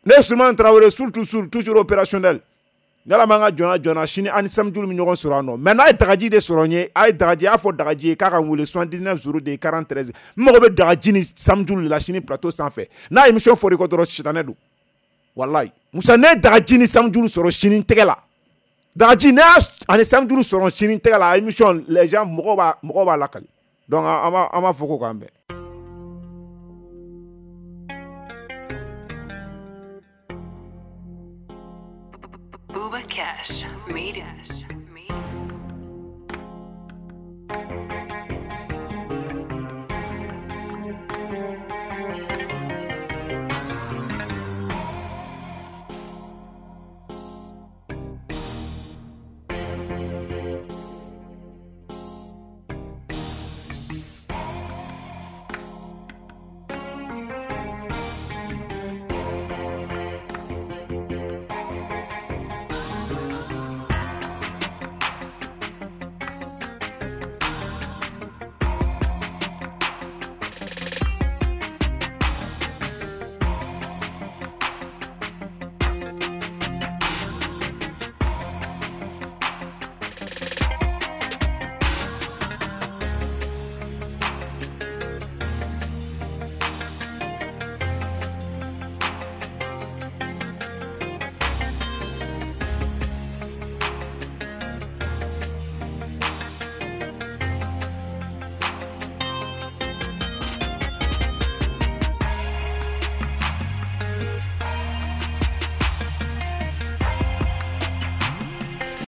ne ye Sulemani Tarawele, Soul to Soul, toujours opérationnel. Ni Ala m'an ka jɔnya jɔnna, sini an ni Samjulu bɛ ɲɔgɔn sɔrɔ yan nɔ. Mais n'a ye Dagaji de sɔrɔ n ye, a ye Dagaji, a y'a fɔ Dagaji ye k'a ka n wele soixante-dix-neuf zéro deux quarante-treize. N mago bɛ Dagaji ni Samjulu de la sini plateau sanfɛ. N'a ye émission fɔr'i kɔ dɔrɔn, sitanɛ don. Wallahi Musa, ne ye Dagaji ni Samjulu sɔrɔ sini tɛgɛ la. Dagaji ne y'a ani Samjulu sɔrɔ sini tɛgɛ la, émission les gens mɔgɔw b'a mɔgɔw b'a lakali. Donc an b'a an b'a fɔ ko k'an bɛn. Booba Cash made it.